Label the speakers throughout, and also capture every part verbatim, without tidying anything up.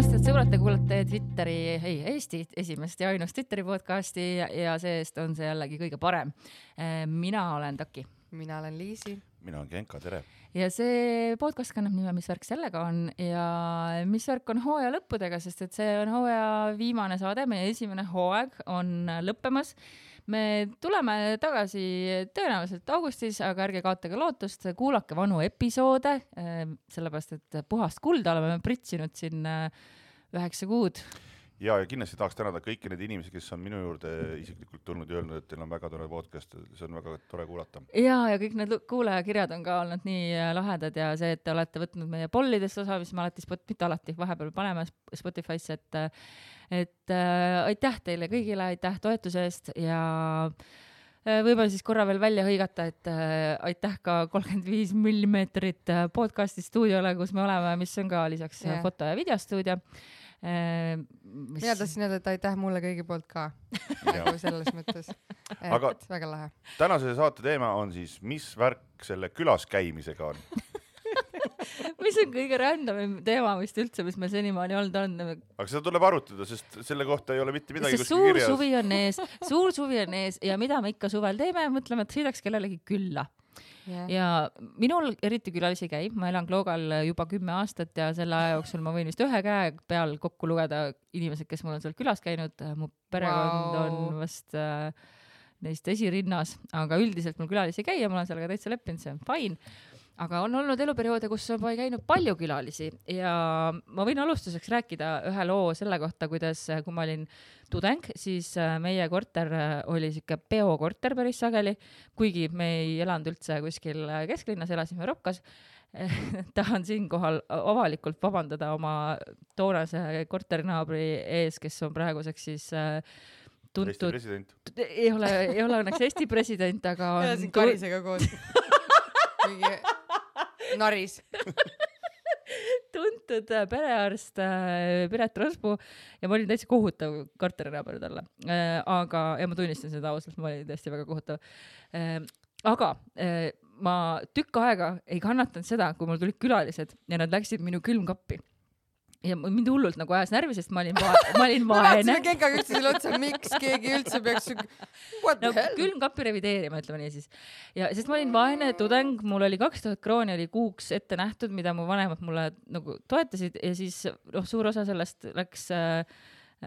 Speaker 1: tulemast, et sõbrad, te kuulate Twitteri, ei, Eesti esimest ja ainust Twitteri podcasti ja, ja see-eest on see jällegi kõige parem. Mina olen Taki.
Speaker 2: Mina olen Liisi.
Speaker 3: Mina olen Genka, tere.
Speaker 1: Ja see podcast kannab nime, mis värk sellega on ja mis värk on hooaja lõppudega, sest et see on hooaja viimane saade, meie esimene hooaeg on lõppemas. Me tuleme tagasi tõenäoliselt augustis, aga ärge kaotage lootust, kuulake vanu episoode, sellepärast et puhast kulda oleme pritsinud siin üheksa kuud.
Speaker 3: Ja, ja kindlasti tahaks tänada kõiki need inimesi, kes on minu juurde isiklikult tulnud ja öelnud, et teil on väga tore podcast, see on väga tore kuulata.
Speaker 1: Ja, ja kõik need kuulajakirjad on ka olnud nii lahedad ja see, et te olete võtnud meie pollidest osa, mis me alati, mitte alati, vahepeal paneme Spotify'sse, et, et äh, aitäh teile kõigile, aitäh toetuse eest ja võib-olla siis korra veel välja hõigata, et äh, aitäh ka kolmkümmend viis millimeetrit podcasti stuudiole, kus me oleme, mis on ka lisaks yeah. foto- ja videostuudio.
Speaker 2: Mis... Mina tahtsin öelda, et aitäh mulle kõigi poolt ka nagu selles mõttes.
Speaker 3: Aga
Speaker 2: väga lahe.
Speaker 3: Tänase saate teema on siis, mis värk selle külas käimisega on?
Speaker 1: Mis on kõige random teema vist üldse, mis meil senimaani olnud on?
Speaker 3: Aga seda tuleb arutada, sest selle kohta ei ole mitte midagi kuskil
Speaker 1: suur
Speaker 3: kirjas.
Speaker 1: Suvi on ees, suur suvi on ees ja mida me ikka suvel teeme, mõtleme, et sõidaks kellelegi külla. Yeah. Ja minul eriti külalisi käib, ma elan Kloogal juba kümme aastat ja selle aja jooksul ma võin vist ühe käe peal kokku lugeda inimesed, kes mul on seal külas käinud. Mu perekond wow. on vast äh, neist esirinnas, aga üldiselt mul külalisi käi ja ma olen seal ka täitsa leppinud, see on fine. Aga on olnud eluperioode, kus ma ei käinud palju külalisi ja ma võin alustuseks rääkida ühe loo selle kohta, kuidas kui ma olin tudeng, siis meie korter oli siuke peokorter päris sageli, kuigi me ei elanud üldse kuskil kesklinnas, elasime Ropkas. Tahan siinkohal avalikult vabandada oma toonase korterinaabri ees, kes on praeguseks siis tuntud...
Speaker 3: Eesti president.
Speaker 1: Ei ole, ei ole õnneks Eesti president, aga on...
Speaker 2: Ja siin Karisega koos. Mingi... Naris.
Speaker 1: Tuntud perearst Piret Rospuu ja ma olin täitsa kohutav korterinaaber talle. Aga, ja ma tunnistan seda ausalt, ma olin tõesti väga kohutav. Aga ma tükk aega ei kannatanud seda, kui mul tulid külalised ja nad läksid minu külmkappi. Ja mind hullult nagu ajas närvi, sest ma olin, va ma olin vaene.
Speaker 2: Ma Genka üldse selle otsa, miks keegi üldse peaks... What the
Speaker 1: no,
Speaker 2: hell?
Speaker 1: Külmkappi revideerima, ütleme nii siis. Ja, sest ma olin vaene tudeng, mul oli kaks tuhat krooni oli kuuks ette nähtud, mida mu vanemad mulle nagu toetasid ja siis noh, suur osa sellest läks, äh,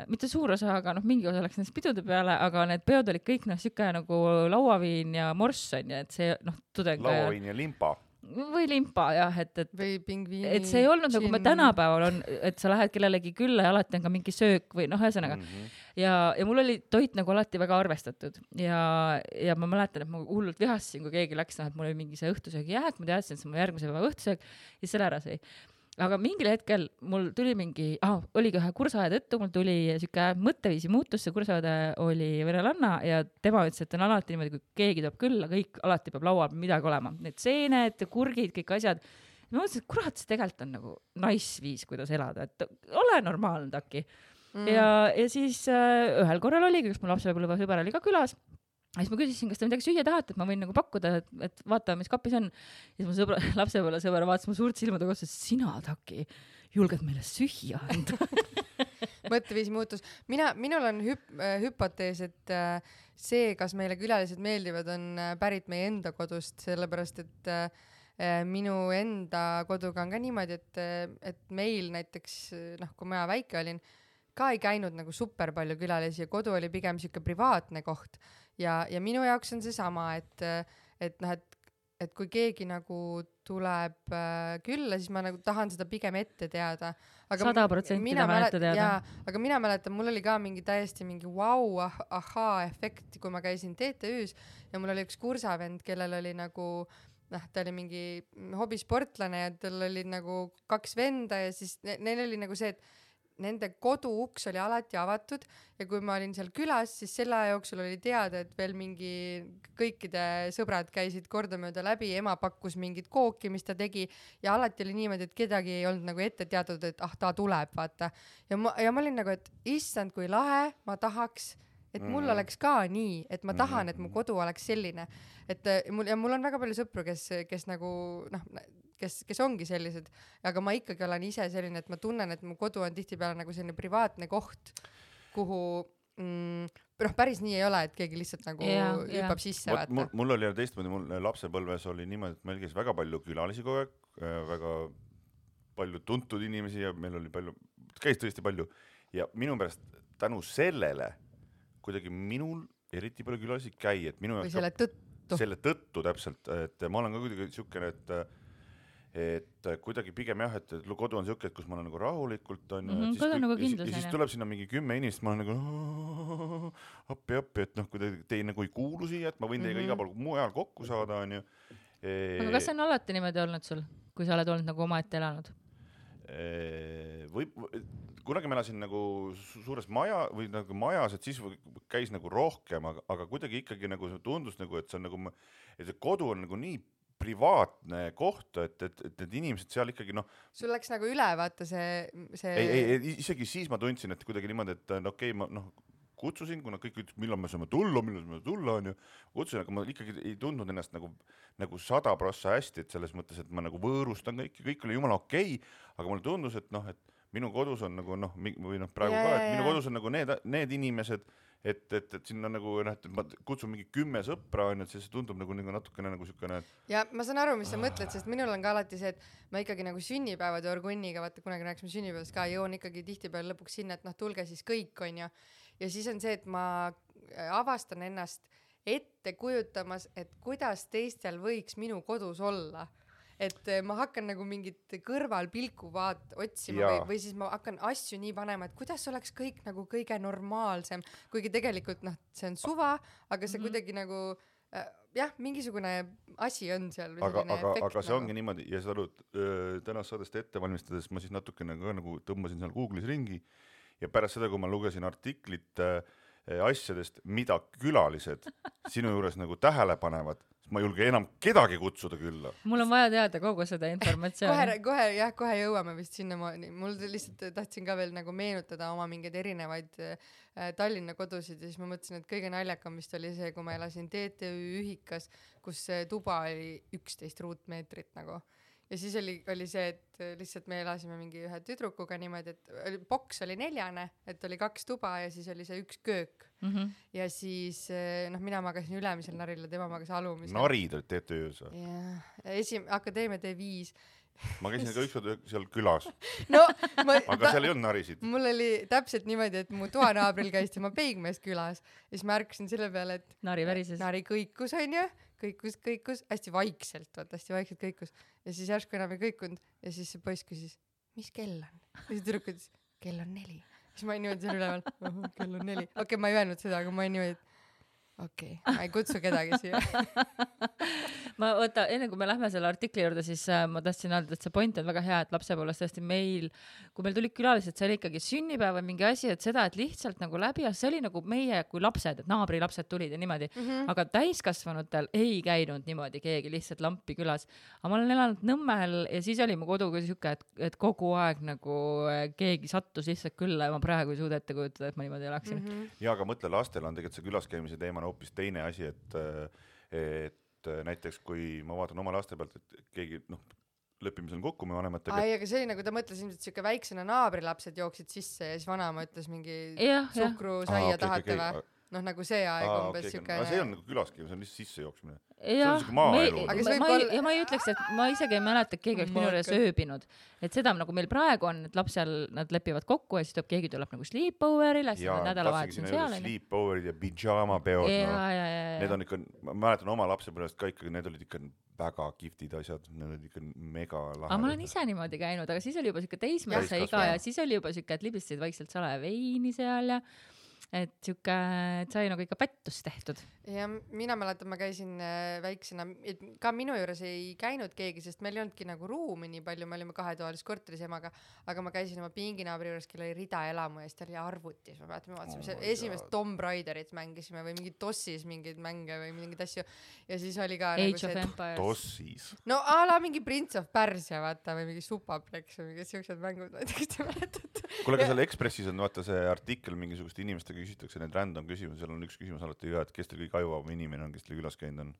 Speaker 1: mitte suur osa, aga noh, mingi osa läks nendest pidude peale, aga need peod olid kõik noh, siuke nagu lauaviin ja morss on ja et see noh, tudeng...
Speaker 3: Lauaviin ja limpa.
Speaker 1: Või limpa, jah, et, et,
Speaker 2: või pingviini,
Speaker 1: et see ei olnud nagu me tänapäeval on, et sa lähed kellelegi külla ja alati on ka mingi söök või noh, ühesõnaga. Mm -hmm. ja, ja mul oli toit nagu alati väga arvestatud ja, ja ma mäletan, et ma hullult vihasin, kui keegi läks, noh, et mul oli mingi see õhtusöögi jääk, ma teadsin, et see on mu järgmise päeva õhtusöök ja selle ära sai. Aga mingil hetkel mul tuli mingi, ah, oligi ühe kursaja tõttu, mul tuli siuke mõtteviisi muutus, see kursaõde oli venelanna ja tema ütles, et on alati niimoodi, kui keegi tuleb külla, kõik alati peab laua midagi olema. Need seened, kurgid, kõik asjad. Ma mõtlesin, et kurat, see tegelikult on nagu nice viis, kuidas elada, et ole normaalne Taki. Mm. Ja, ja siis äh, ühel korral oligi, kus mu lapsepõlve sõber oli ka külas. Ja siis ma küsisin, kas te midagi süüa tahate, et ma võin nagu pakkuda, et, et vaatame, mis kapis on. Ja siis mu sõbra, lapsepõlve sõber vaatas mu suurt silmade kohta, et sina, Taki, julged meile süüa anda.
Speaker 2: Mõtteviisi muutus. Mina, minul on hüp, hüpotees, et äh, see, kas meile külalised meeldivad, on pärit meie enda kodust, sellepärast, et äh, minu enda koduga on ka niimoodi, et, et meil näiteks, noh, kui ma väike olin, ka ei käinud nagu super palju külalisi ja kodu oli pigem siuke privaatne koht. Ja, ja minu jaoks on see sama, et, et, noh, et, et kui keegi nagu tuleb äh, külla, siis ma nagu tahan seda pigem ette teada.
Speaker 1: sada protsenti tahan ette teada.
Speaker 2: Jaa, aga mina mäletan, mul oli ka mingi täiesti mingi vau, ah, ahaa efekt, kui ma käisin T T Ü's ja mul oli üks kursavend, kellel oli nagu, noh, ta oli mingi hobisportlane ja tal oli nagu kaks venda ja siis ne neil oli nagu see, et nende kodu uks oli alati avatud ja kui ma olin seal külas, siis selle aja jooksul oli teada, et veel mingi kõikide sõbrad käisid kordamööda läbi, ema pakkus mingit kooki, mis ta tegi ja alati oli niimoodi, et kedagi ei olnud nagu ette teatud, et ah, ta tuleb, vaata. Ja ma, ja ma olin nagu, et issand, kui lahe, ma tahaks, et mul mm. oleks ka nii, et ma tahan, et mu kodu oleks selline. Et mul, ja mul on väga palju sõpru, kes, kes nagu, noh, kes, kes ongi sellised, aga ma ikkagi olen ise selline, et ma tunnen, et mu kodu on tihtipeale nagu selline privaatne koht, kuhu mm, noh, päris nii ei ole, et keegi lihtsalt nagu yeah, hüppab yeah. sisse.
Speaker 3: Vaat, mul, mul oli teistmoodi, mul lapsepõlves oli niimoodi, et meil käis väga palju külalisi kogu aeg, väga palju tuntud inimesi ja meil oli palju, käis tõesti palju ja minu pärast tänu sellele kuidagi minul eriti palju külalisi käi, et minu
Speaker 2: või selle tõttu.
Speaker 3: Selle tõttu täpselt, et ma olen ka kuidagi siukene, et et kuidagi pigem jah, et kodu on siuke, et kus ma olen nagu rahulikult on
Speaker 1: mm -hmm,
Speaker 3: ja, siis,
Speaker 1: nagu
Speaker 3: kui, ja, ja siis tuleb sinna mingi kümme inimest, ma olen nagu appi, appi, et noh, kui te, te nagu ei kuulu siia, et ma võin teiega mm -hmm. iga pool mujal kokku saada, on ju.
Speaker 1: E... aga kas see on alati niimoodi olnud sul, kui sa oled olnud nagu omaette elanud?
Speaker 3: E... või kunagi ma elasin nagu suures maja või nagu majas, et siis käis nagu rohkem, aga, aga kuidagi ikkagi nagu tundus nagu, et see on nagu, et see kodu on nagu nii privaatne koht, et, et, et need inimesed seal ikkagi noh.
Speaker 2: Sul läks nagu üle, vaata see, see...
Speaker 3: Ei, ei, ei, isegi siis ma tundsin, et kuidagi niimoodi, et no okei, okay, ma noh, kutsusin, kuna kõik ütles, millal me saame tulla, millal me saame tulla, on ju. Kutsusin, aga ma ikkagi ei tundnud ennast nagu, nagu sada prossa hästi, et selles mõttes, et ma nagu võõrustan kõik, kõik oli jumala okei, okay, aga mulle tundus, et noh, et minu kodus on nagu noh, või noh, praegu yeah, ka, et minu kodus on nagu need, need inimesed, et, et, et sinna nagu, noh, et ma kutsun mingi kümme sõpra, on, et see tundub nagu, nagu natukene nagu sükene.
Speaker 2: Ja ma saan aru, mis sa mõtled, sest minul on ka alati see, et ma ikkagi nagu sünnipäevade orgunniga, vaata kunagi rääkisime sünnipäevast ka, jõuan ikkagi tihtipeale lõpuks sinna, et noh, tulge siis kõik, on ju. Ja siis on see, et ma avastan ennast ette kujutamas, et kuidas teistel võiks minu kodus olla. Et ma hakkan nagu mingit kõrvalpilku vaat otsima või, või siis ma hakkan asju nii panema, et kuidas oleks kõik nagu kõige normaalsem, kuigi tegelikult noh, see on suva, aga see mm -hmm. kuidagi nagu äh, jah, mingisugune asi on seal.
Speaker 3: Aga, aga, aga see nagu. Ongi niimoodi ja sa oled äh, tänast saadest ette valmistades, ma siis natukene ka nagu tõmbasin seal Google'is ringi ja pärast seda, kui ma lugesin artiklit äh, asjadest, mida külalised sinu juures nagu tähele panevad, ma ei julge enam kedagi kutsuda külla.
Speaker 1: Mul on vaja teada kogu seda informatsiooni.
Speaker 2: kohe, kohe, jah, kohe jõuame vist sinnamaani. Mul lihtsalt tahtsin ka veel nagu meenutada oma mingeid erinevaid äh, Tallinna kodusid ja siis ma mõtlesin, et kõige naljakam vist oli see, kui ma elasin T T Ü ühikas, kus tuba oli üksteist ruutmeetrit nagu. Ja siis oli, oli see, et lihtsalt me elasime mingi ühe tüdrukuga niimoodi, et oli, boks oli neljane, et oli kaks tuba ja siis oli see üks köök. Mm -hmm. Ja siis noh, mina magasin ülemisel naril ja tema magas alumisel.
Speaker 3: Narid olid T T Ü-s?
Speaker 2: jah, esim-, Akadeemia D viis.
Speaker 3: Ma käisin ka ükskord seal külas.
Speaker 2: No, ma,
Speaker 3: aga ta, seal ei olnud narisid.
Speaker 2: Mul oli täpselt niimoodi, et mu toanaabril käis tema peigmees külas ja siis ma ärkasin selle peale, et
Speaker 1: nari värises.
Speaker 2: Nari kõikus, on ju, kõikus, kõikus, hästi vaikselt, vaata, hästi vaikselt kõikus. Ja siis järsku enam ei kõikunud ja siis see poiss küsis, mis kell on? Ja siis tüdruk ütles, kell on neli. Siis ma ei niimoodi seal üleval, oh, kell on neli. Okei, okay, ma ei öelnud seda, aga ma ei niimoodi, okei, okay, ma ei kutsu kedagi siia.
Speaker 1: ma võta, enne kui me lähme selle artikli juurde, siis äh, ma tahtsin öelda, et see point on väga hea, et lapsepõlves tõesti meil, kui meil tulid külalised, see oli ikkagi sünnipäev või mingi asi, et seda, et lihtsalt nagu läbi, see oli nagu meie kui lapsed, et naabri lapsed tulid ja niimoodi, mm -hmm. aga täiskasvanutel ei käinud niimoodi keegi lihtsalt lampi külas. Aga ma olen elanud Nõmmel ja siis oli mu kodu kui siuke, et, et kogu aeg nagu keegi sattus lihtsalt külla ja ma praegu ei suuda ette kujutada, et ma niimoodi elaksin. Mm -hmm.
Speaker 3: ja aga mõtle, lastel on tegelikult see külaskäimise teema hoopis teine asi, et, et näiteks kui ma vaatan oma laste pealt, et keegi noh, lepime seal kokku me vanematega.
Speaker 2: Ai, aga see oli nagu ta mõtles ilmselt siuke väiksena naabrilapsed jooksid sisse ja siis vanaema ütles mingi suhkrusaia okay, tahate okay, okay. või? Noh, nagu see aeg Aa, umbes okay, siuke.
Speaker 3: Okay. See on nagu külaskäimine, see on lihtsalt sisse jooksmine.
Speaker 1: Ja, ma, ei, ma, ei, ja ma ei ütleks, et ma isegi ei mäleta, et keegi oleks minu juures ööbinud. Et seda nagu meil praegu on, et lapsel nad lepivad kokku ja siis tuleb, keegi tuleb nagu sleepoverile, siis on nädalavahetus on seal.
Speaker 3: Sleepoverid ja pijamapeod.
Speaker 1: Ja, no. ja, ja, ja.
Speaker 3: Need on ikka, ma mäletan oma lapsepõlvest ka ikkagi, need olid ikka väga kiftid asjad, need olid ikka mega lahedad.
Speaker 1: Aga ma olen ise niimoodi käinud, aga siis oli juba siuke teismelise iga ja siis oli juba siuke, et libistasid vaikselt salaja veini seal ja et siuke, et sai nagu ikka pättus tehtud.
Speaker 2: Ja mina mäletan, ma käisin äh, väiksena, et ka minu juures ei käinud keegi, sest meil ei olnudki nagu ruumi nii palju, me olime kahetoalis korteris emaga, aga ma käisin oma pinginaabri juures, kel oli rida elamu ja siis ta oli arvutis, ma mäletan, me vaatasime oh esimest Tomb Raiderit mängisime või mingi Tossis mingeid mänge või mingeid asju ja siis oli ka
Speaker 1: Age
Speaker 2: nagu see,
Speaker 1: et
Speaker 3: Tossis.
Speaker 2: No a la mingi Prince of Persia vaata või mingi Supaplex või mingid siuksed mängud, ma ei tea, kas te mäletate.
Speaker 3: Kuule, aga seal Ekspressis on vaata see artikkel mingisugust inimestega küsitakse need random küsimus, seal on üks küsimus alati ka, et kes teil kõige ajuvam inimene on, kes teil külas käinud on?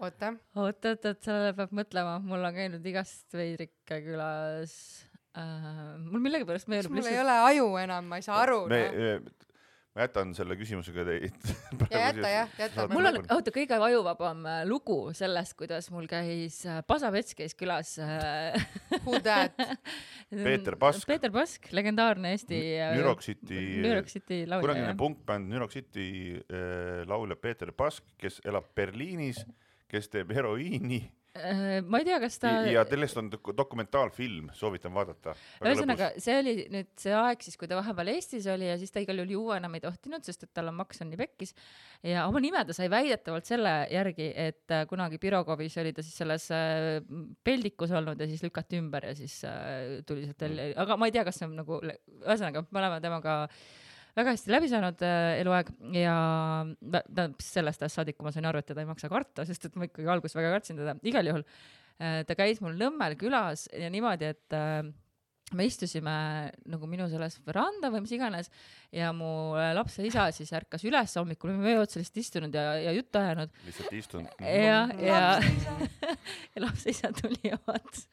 Speaker 2: oota.
Speaker 1: oot, oot, oot, sellele peab mõtlema. Mul on käinud igast veidrikke külas. Uh, mul millegi pärast meenub.
Speaker 2: Mul lihtsalt... ei ole aju enam, ma ei saa aru.
Speaker 3: Me, no. ma jätan selle küsimusega teid.
Speaker 2: Ja jäta, jah, jäta.
Speaker 1: Mul on, oota, kõige vajuvabam lugu sellest, kuidas mul käis, Pasapets käis külas.
Speaker 2: Who that?
Speaker 3: Peeter Pask.
Speaker 1: Peeter Pask, legendaarne Eesti
Speaker 3: New York City,
Speaker 1: New York City laulja.
Speaker 3: Kunagine punkbänd New York City äh, laulja Peeter Pask, kes elab Berliinis, kes teeb heroiini.
Speaker 1: Ma ei tea, kas ta...
Speaker 3: Ja sellest on dokumentaalfilm, soovitan vaadata.
Speaker 1: Ühesõnaga, see oli nüüd see aeg siis, kui ta vahepeal Eestis oli ja siis ta igal juhul juua enam ei tohtinud, sest et tal on maks on nii pekkis. Ja oma nime ta sai väidetavalt selle järgi, et kunagi Pirogovis oli ta siis selles peldikus olnud ja siis lükati ümber ja siis tuli sealt välja. Aga ma ei tea, kas see on nagu... Ühesõnaga, me oleme temaga väga hästi läbi saanud äh, eluaeg ja ta, sellest ajast saadik, kui ma sain aru, et teda ei maksa karta, sest et ma ikkagi alguses väga kartsin teda. Igal juhul äh, ta käis mul Nõmmel külas ja niimoodi, et äh, me istusime nagu minu selles veranda või mis iganes ja mu lapse isa siis ärkas üles hommikul, me otsa lihtsalt istunud ja, ja juttu ajanud.
Speaker 3: Lihtsalt istunud.
Speaker 1: Ja, ja, ja lapse isa tuli ja vaatas.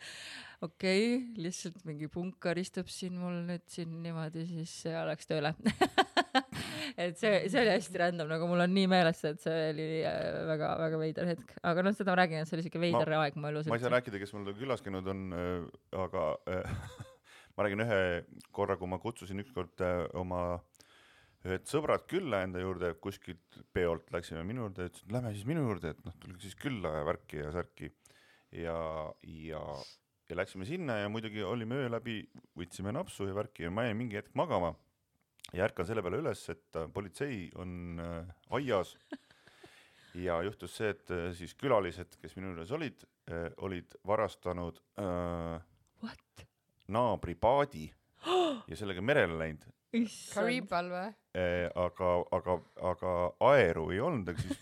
Speaker 1: Okei, okay, lihtsalt mingi punkar istub siin mul nüüd siin niimoodi, siis see läks tööle. et see, see oli hästi random, nagu mul on nii meeles, et see oli väga, väga veider hetk. Aga noh, seda ma räägin, et see oli siuke veider ma, aeg mu elus.
Speaker 3: Ma ei saa rääkida, kes mul külas käinud on, aga ma räägin ühe korra, kui ma kutsusin ükskord oma ühed sõbrad külla enda juurde, kuskilt peolt läksime minu juurde, ütlesin, et lähme siis minu juurde, et noh, tulge siis külla ja värki ja särki. Ja, ja ja läksime sinna ja muidugi olime öö läbi, võtsime napsu ja värki ja ma jäin mingi hetk magama ja ärkan selle peale üles, et politsei on äh, aias ja juhtus see, et äh, siis külalised, kes minu juures olid, äh, olid varastanud äh, naabri paadi ja sellega merele läinud.
Speaker 2: Kariibal või?
Speaker 3: Äh, aga, aga, aga aeru ei olnud, aga siis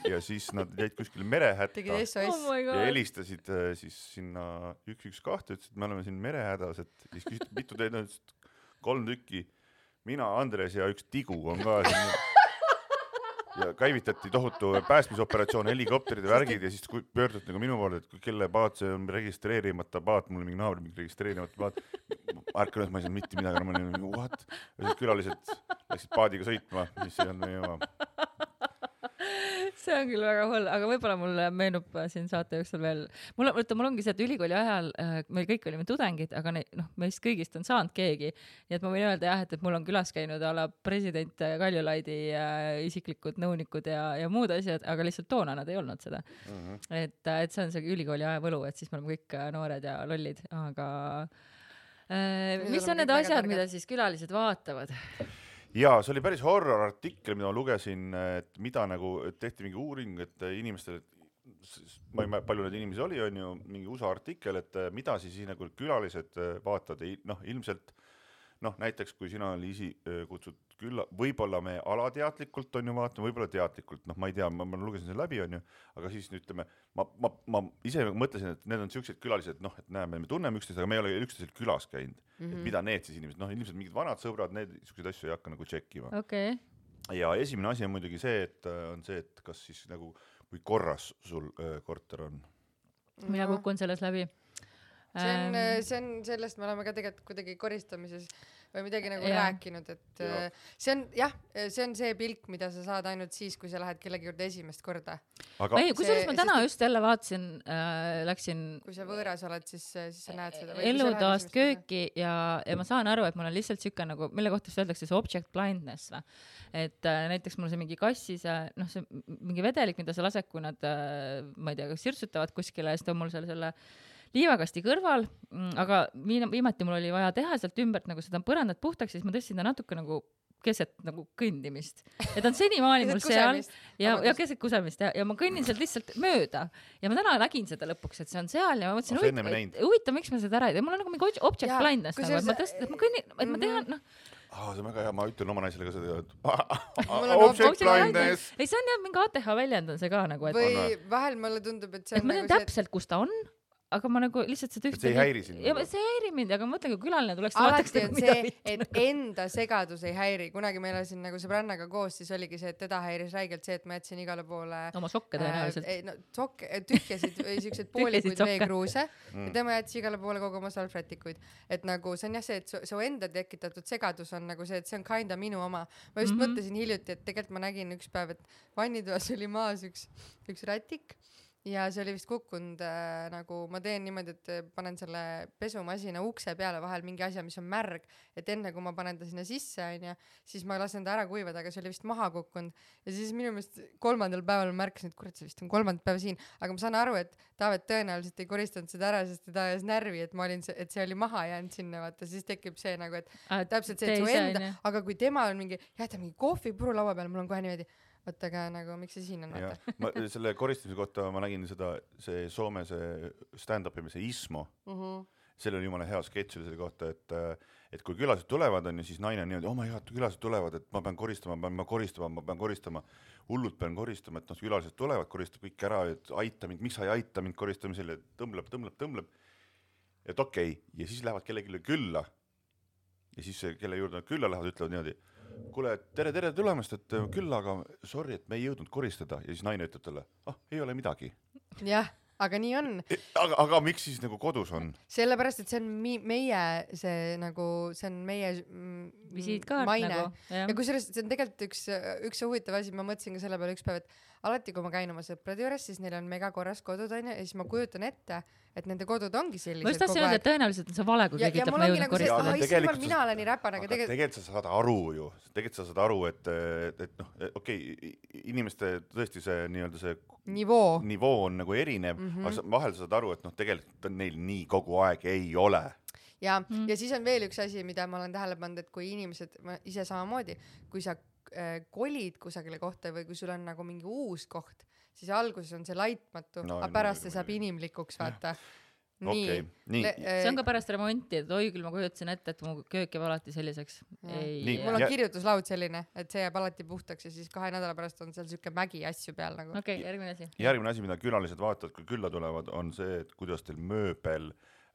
Speaker 3: ja siis nad jäid kuskil merehätta
Speaker 1: oh
Speaker 3: ja helistasid äh, siis sinna üks üks kaks, ütlesid, et me oleme siin merehädas, et siis küsiti, mitu teid on, kolm tükki, mina, Andres ja üks tigu on ka siin ja käivitati tohutu päästmisoperatsioon, helikopterid ja värgid ja siis pöördut nagu minu poole, et kelle paat see on registreerimata paat, mul mingi naabri mingi registreerimata paat, ärkan, et ma ei saanud mitte midagi, ma olin nagu what? Ja siis külalised läksid paadiga sõitma, mis see on meie oma.
Speaker 1: See on küll väga hull, aga võib-olla mul meenub siin saate jooksul veel. Mul, võtta, mul ongi see, et ülikooli ajal äh, meil kõik olime tudengid, aga ne, noh, meist kõigist on saanud keegi. Nii et ma võin öelda jah, et, et mul on külas käinud ala president Kaljulaidi äh, isiklikud nõunikud ja, ja muud asjad, aga lihtsalt toona nad ei olnud seda. Mm-hmm. Et, et see on see ülikooli aja võlu, et siis me oleme kõik noored ja lollid, aga äh, mis on need asjad, mida siis külalised vaatavad?
Speaker 3: Jaa, see oli päris horror artikkel, mida ma lugesin, et mida nagu tehti mingi uuring, et inimestel, ma ei mäleta, palju neid inimesi oli, on ju mingi U S A artikkel, et mida siis nagu külalised vaatavad, noh, ilmselt, noh, näiteks kui sina, Liisi, kutsud külla, võib-olla me alateadlikult on ju vaatama, võib-olla teadlikult, noh, ma ei tea, ma, ma lugesin selle läbi, on ju, aga siis ütleme, ma, ma, ma ise mõtlesin, et need on sellised külalised, noh, et näeme, me tunneme üksteist, aga me ei ole üksteisel külas käinud. Mm-hmm. Et mida need siis inimesed, noh, ilmselt mingid vanad sõbrad, need selliseid asju ei hakka nagu tšekkima.
Speaker 1: Okay.
Speaker 3: Ja esimene asi on muidugi see, et on see, et kas siis nagu, kui korras sul öö, korter on.
Speaker 1: Mina no. kukun selles läbi.
Speaker 2: See on, see on, sellest me oleme ka tegelikult kuidagi koristamises või midagi nagu ja. rääkinud, et ja. see on, jah, see on see pilk, mida sa saad ainult siis, kui sa lähed kellegi juurde esimest korda.
Speaker 3: Aga
Speaker 1: ei, kui sellest ma täna just jälle vaatasin, äh, läksin... Kui
Speaker 2: sa võõras oled, siis, siis sa näed seda.
Speaker 1: Elutoast kööki ja, ja ma saan aru, et mul on lihtsalt siuke nagu, mille kohta see öeldakse, see object blindness. Va? Et äh, näiteks mul see mingi kassis, noh, see mingi vedelik, mida sa lased, kui nad, äh, ma ei tea, sirsutavad kuskile ja siis on mul selle, selle liivakasti kõrval, aga viimati mul oli vaja teha sealt ümbert nagu seda põrandat puhtaks, siis ma tõstsin ta natuke nagu keset nagu kõndimist. Et on senimaani mul seal ja, ja keset kusemist ja, ja ma kõnnin sealt lihtsalt mööda. Ja ma täna nägin seda lõpuks, et see on seal ja ma mõtlesin, huvitav, huvitav, miks ma seda ära ei tee. Mul on nagu mingi object ja, blindness, nagu, et ma tõst, et ma kõnnin, et ma tehan, noh.
Speaker 3: Ah, see on väga hea, ma ütlen oma naisele ka seda, et object blindness.
Speaker 1: Ei, see on jah, mingi A T H väljend on see ka nagu, et
Speaker 2: või vahel mulle tundub, et see on
Speaker 1: et ma tean täpselt, kus ta on, aga ma nagu lihtsalt seda ühte
Speaker 3: see ei häiri sind
Speaker 1: ja
Speaker 3: nagu?
Speaker 1: see ei häiri mind, aga ma mõtlen, kui külaline tuleks
Speaker 2: alati on see, et enda segadus ei häiri. Kunagi meil elasin nagu sõbrannaga koos, siis oligi see, et teda häiris räigelt see, et ma jätsin igale poole
Speaker 1: oma sokke tõenäoliselt.
Speaker 2: Äh, no, sokke, tühjasid või siukseid poolikuid veekruuse mm. ja tema jättis igale poole kogu oma salvrätikuid. Et nagu see on jah see, et su, su enda tekitatud segadus on nagu see, et see on kinda minu oma. Ma just mm-hmm. mõtlesin hiljuti, et tegelikult ma nägin üks päev, et vannitoas oli maas üks, üks rätik ja see oli vist kukkunud äh, nagu ma teen niimoodi, et panen selle pesumasina ukse peale vahel mingi asja, mis on märg, et enne kui ma panen ta sinna sisse, onja, siis ma lasen ta ära kuivada, aga see oli vist maha kukkunud ja siis minu meelest kolmandal päeval ma märkasin, et kurat, see vist on kolmandat päeva siin, aga ma saan aru, et Taavet tõenäoliselt ei koristanud seda ära, sest ta ajas närvi, et ma olin, et see oli maha jäänud sinna, vaata, siis tekib see nagu, et ah, täpselt see, et su enda, aga kui tema on mingi, jäta mingi kohvipuru laua peal, mul on kohe niimoodi vaata ka nagu, miks see siin on, vaata.
Speaker 3: Ma selle koristamise kohta ma nägin seda, see Soome see stand-up imise Ismo. Uh-huh. Seal oli jumala hea sketš selle kohta, et, et kui külased tulevad, on ja siis naine on niimoodi, oh my god, külased tulevad, et ma pean koristama, ma pean koristama, ma pean koristama, hullult pean koristama, et noh, külased tulevad, koristab kõik ära, et aita mind, miks sa ei aita mind koristamisel, et tõmbleb, tõmbleb, tõmbleb. Et okei, okay. Ja siis lähevad kellelegi külla. Ja siis kelle juurde nad külla lähevad, ütlevad niimoodi, kuule, tere, tere tulemast, et küll, aga sorry, et me ei jõudnud koristada. Ja siis naine ütleb talle, ah, ei ole midagi.
Speaker 2: Jah, aga nii on.
Speaker 3: Aga, aga miks siis nagu kodus on?
Speaker 2: Sellepärast, et see on mi- meie, see nagu, see on meie mm,
Speaker 1: visiitkaart
Speaker 2: maine.
Speaker 1: Nagu.
Speaker 2: Ja, ja kui sellest, see on tegelikult üks, üks huvitav asi, ma mõtlesin ka selle peale üks päev, et alati, kui ma käin oma sõprade juures, siis neil on mega korras kodud, on ja siis ma kujutan ette, et nende kodud ongi sellised
Speaker 1: kogu aeg. Ma just tahtsin öelda, et tõenäoliselt on see vale, kui keegi ütleb, ma jõudnud koristada.
Speaker 2: Ja, tegelikult mina olen nii räpan, aga
Speaker 3: tegelikult... Tegelikult sa saad aru ju, tegelikult sa saad aru, et, et, et noh, okei, okay, inimeste tõesti see nii-öelda see
Speaker 2: nivoo,
Speaker 3: nivoo on nagu erinev, mm -hmm. aga vahel sa saad aru, et noh, tegelikult neil nii kogu aeg ei ole.
Speaker 2: Ja, mm. ja siis on veel üks asi, mida ma olen tähele pannud, et kui inimesed, ma ise samamoodi, kui sa äh, kolid kusagile kohta või kui sul on nagu mingi uus koht, siis alguses on see laitmatu, no, aga pärast see saab inimlikuks, vaata. Nii.
Speaker 3: Okay, nii. Le,
Speaker 1: äh, see on ka pärast remonti, et oi küll ma kujutasin ette, et mu köök jääb alati selliseks. Ei,
Speaker 2: mul on ja... kirjutuslaud selline, et see jääb alati puhtaks ja siis kahe nädala pärast on seal siuke mägi asju peal nagu.
Speaker 1: Okei, okay, järgmine asi.
Speaker 3: Järgmine asi, mida külalised vaatavad, kui külla tulevad, on see, et kuidas teil mööbel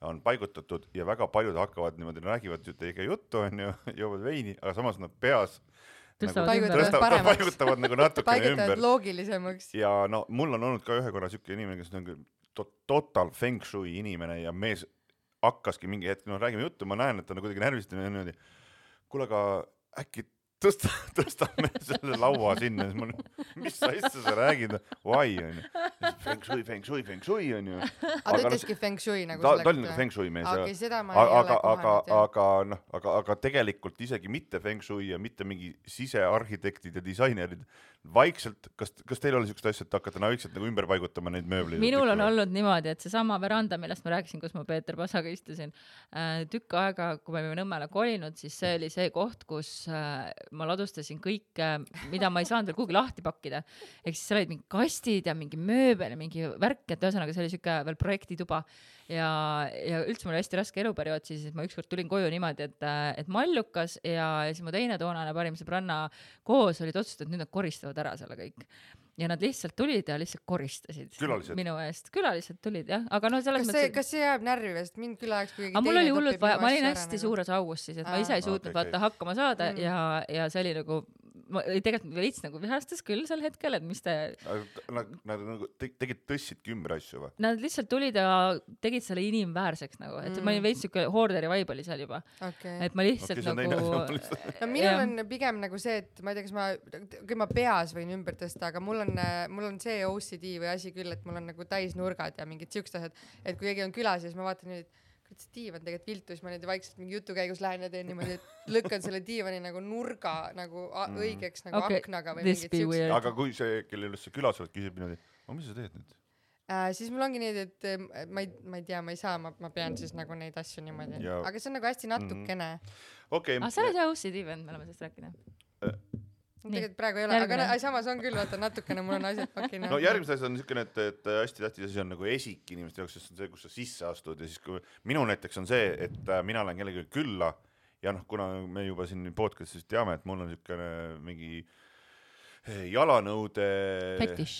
Speaker 3: on paigutatud ja väga paljud hakkavad niimoodi, räägivad teiega juttu, on ju, joovad veini, aga samas nad peas
Speaker 1: Tõstavad,
Speaker 3: nagu,
Speaker 1: ümber,
Speaker 3: tõstavad, paigutavad nagu natukene ümber.
Speaker 2: loogilisemaks.
Speaker 3: Ja no mul on olnud ka ühe korra siuke inimene, kes on total feng shui inimene ja mees hakkaski mingi hetk, no räägime juttu, ma näen, et ta on kuidagi närvist ja niimoodi, kuule, aga äkki tõsta, tõstame selle laua sinna, siis ma, mis asja sa räägid, why on ju, feng shui, feng shui, feng shui on ju.
Speaker 2: aga ta ütleski feng shui nagu
Speaker 3: ta, ta oli nagu feng shui mees.
Speaker 2: Okay, seda ma
Speaker 3: aga,
Speaker 2: ei
Speaker 3: aga,
Speaker 2: ole kohanud.
Speaker 3: Aga, aga, no, aga, aga tegelikult isegi mitte feng shui ja mitte mingi sisearhitektid ja disainerid, vaikselt, kas, kas teil oli siukest asja, et hakata vaikselt nagu ümber paigutama neid mööbleid?
Speaker 1: Minul on olnud niimoodi, et see sama veranda, millest ma rääkisin, kus ma Peeter Pasaga istusin, tükk aega, kui me Nõmmele kolinud, siis see oli see koht, kus ma ladustasin kõike, mida ma ei saanud veel kuhugi lahti pakkida. Ehk siis seal olid mingi kastid ja mingi mööbel ja mingi värk, et ühesõnaga see oli siuke veel projektituba. Ja, ja üldse mul oli hästi raske eluperiood, siis ma ükskord tulin koju niimoodi, et, et mallukas ja, ja siis mu teine toonane parim sõbranna koos olid otsustanud, et nüüd nad koristavad ära selle kõik. Ja nad lihtsalt tulid ja lihtsalt koristasid
Speaker 3: külalised.
Speaker 1: Minu eest. Külalised tulid, jah. Aga no selles
Speaker 2: kas, see, mõttes... kas see jääb närvi vest? Mind küll ajaks, kui
Speaker 1: aga mul oli hullult vaja, ma olin hästi ära, suures augus siis, et Aa. ma ise ei suutnud okay, vaata okay. hakkama saada mm. ja, ja see oli nagu ma tegelikult veits nagu vihastas küll sel hetkel, et mis te...
Speaker 3: Nad, nad nagu tegid tõssidki ümber asju või?
Speaker 1: Nad lihtsalt tulid ja tegid selle inimväärseks nagu, et mm. ma olin veits siuke hoorderi vibe oli seal juba. Okay. Et ma lihtsalt okay, nagu...
Speaker 2: no minul on pigem nagu see, et ma ei tea, kas ma, kui ma peas võin ümber tõsta, aga mul on, mul on see O C D või asi küll, et mul on nagu täisnurgad ja mingid siuksed asjad, et kui keegi on külas ja siis ma vaatan nüüd, et see diivan tegelikult viltu, siis ma nüüd vaikselt mingi jutu käigus lähen ja teen niimoodi, et lükkan selle diivani nagu nurga nagu mm. õigeks nagu okay. aknaga või mingid siuksed.
Speaker 3: Aga kui see, kellel just see külas oled, küsib niimoodi, aga mis sa teed nüüd?
Speaker 2: Äh, siis mul ongi nii, et ma ei, ma ei tea, ma ei saa, ma, ma pean siis nagu neid asju niimoodi. Ja. Aga see on nagu hästi natukene.
Speaker 3: Mm. Okay.
Speaker 1: Ah, sa oled jah O C D vend, me oleme sellest rääkida.
Speaker 3: Äh.
Speaker 2: Tegelikult praegu ei ole, järgmine. Aga samas on küll, vaata natukene mul on asjad pakina.
Speaker 3: No järgmises asjad on niisugune, et, et hästi tähtis asi on nagu esik inimeste jaoks, sest on see, kus sa sisse astud ja siis kui minu näiteks on see, et mina lähen kellegi külla ja noh, kuna me juba siin podcastis teame, et mul on niisugune mingi jalanõude
Speaker 1: fetiš.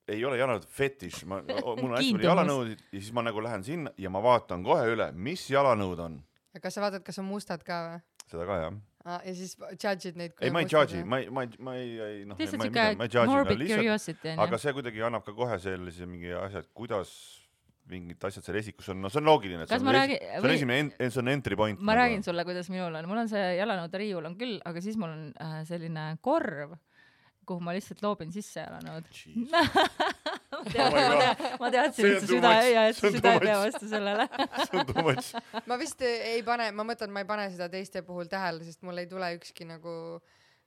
Speaker 3: ei ole jalanõud fetiš, ma, mul on hästi palju jalanõud ja siis ma nagu lähen sinna ja ma vaatan kohe üle, mis jalanõud on.
Speaker 2: Ja kas sa vaatad, kas on mustad ka või?
Speaker 3: Seda ka, jah.
Speaker 2: Ah, ja siis judge'id neid.
Speaker 3: Ei, ma ei judge'i, ma ei, ma ei, ma ei, noh, ma ei, ma ei judge'i, aga see kuidagi annab ka kohe sellise mingi asjad, kuidas mingid asjad seal esikus on, no see on loogiline, see on, räägi, see on või... esimene, see on entry point.
Speaker 1: Ma nagu. räägin sulle, kuidas minul on, mul on see jalanõude riiul on küll, aga siis mul on äh, selline korv, kuhu ma lihtsalt loobin sisse jalanõud. ma, tead, ma, tead, ma teadsin, et su süda ei ja et su süda ei pea vastu sellele.
Speaker 2: ma vist ei pane, ma mõtlen, ma ei pane seda teiste puhul tähele, sest mul ei tule ükski nagu,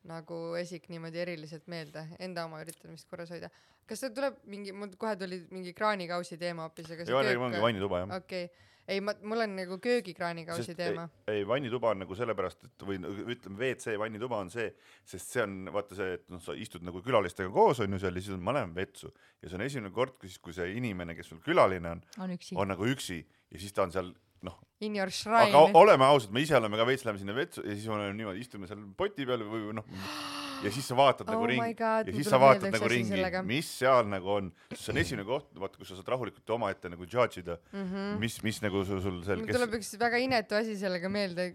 Speaker 2: nagu esik niimoodi eriliselt meelde. Enda oma üritan vist korras hoida. Kas see tuleb mingi, mul kohe tuli mingi kraanikausi teema hoopis.
Speaker 3: Ei, köök... ongi vannituba, jah.
Speaker 2: Okei. Okay. Ei, ma, mul on nagu köögikraanikausi sest teema.
Speaker 3: Ei, ei, vannituba on nagu sellepärast, et või ütleme, V C vannituba on see, sest see on, vaata see, et no, sa istud nagu külalistega koos, on ju seal, ja siis ma lähen vetsu. Ja see on esimene kord, kui see inimene, kes sul külaline on,
Speaker 1: on,
Speaker 3: on nagu üksi ja siis ta on seal, noh,
Speaker 2: in your shrine.
Speaker 3: Aga oleme ausad, me ise oleme ka veits läheme sinna vetsu ja siis oleme niimoodi, istume seal poti peal või noh, ja siis sa vaatad oh nagu ringi
Speaker 2: God,
Speaker 3: ja siis sa vaatad nagu ringi, sellega. Mis seal nagu on. See on esimene koht, vaata, kus sa saad rahulikult oma ette nagu judge'ida, mm -hmm. mis, mis nagu sul, sul seal...
Speaker 2: Mul tuleb üks väga inetu asi sellega meelde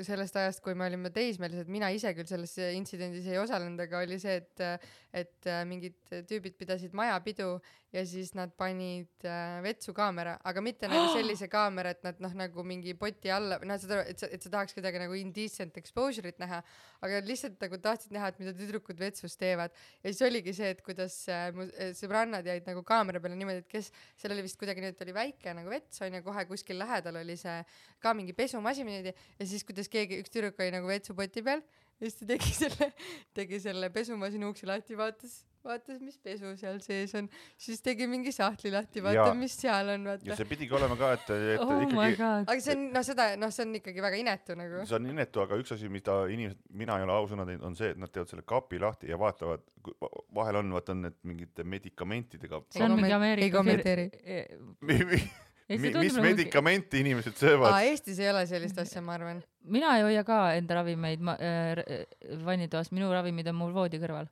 Speaker 2: sellest ajast, kui me olime teismelised. Mina ise küll selles intsidendis ei osalenud, aga oli see, et, et mingid tüübid pidasid majapidu ja siis nad panid vetsu kaamera, aga mitte nagu sellise kaamera, et nad noh, nagu mingi poti alla, noh, et sa, et sa tahaks kuidagi nagu indecent exposure'it näha, aga lihtsalt nagu tahtsid näha, et mida tüdrukud vetsus teevad. Ja siis oligi see, et kuidas mu sõbrannad jäid nagu kaamera peale niimoodi, et kes, seal oli vist kuidagi nüüd oli väike nagu vets, on ja kohe kuskil lähedal oli see ka mingi pesumasin ja siis kuidas keegi, üks tüdruk oli nagu vetsupoti peal ja siis ta tegi selle, tegi selle pesumasini uksi lahti, vaatas vaatas, mis pesu seal sees on, siis tegi mingi sahtli lahti, vaata, ja. Mis seal on, vaata.
Speaker 3: Ja see pidigi olema ka, et, et
Speaker 1: oh
Speaker 3: ikkagi...
Speaker 2: Aga see on, no seda, noh, see on ikkagi väga inetu nagu.
Speaker 3: See on inetu, aga üks asi, mida inimesed, mina ei ole ausõna teinud, on see, et nad teevad selle kapi lahti ja vaatavad, vahel on, vaata, on need mingite medikamentidega.
Speaker 1: See on mingi Ameerika...
Speaker 2: Ei kommenteeri.
Speaker 3: Mis medikamenti inimesed söövad?
Speaker 2: Aa, Eestis ei ole sellist asja, ma arvan.
Speaker 1: Mina ei hoia ka enda ravimeid ma, äh, vannitoas, minu ravimid on mul voodi kõrval.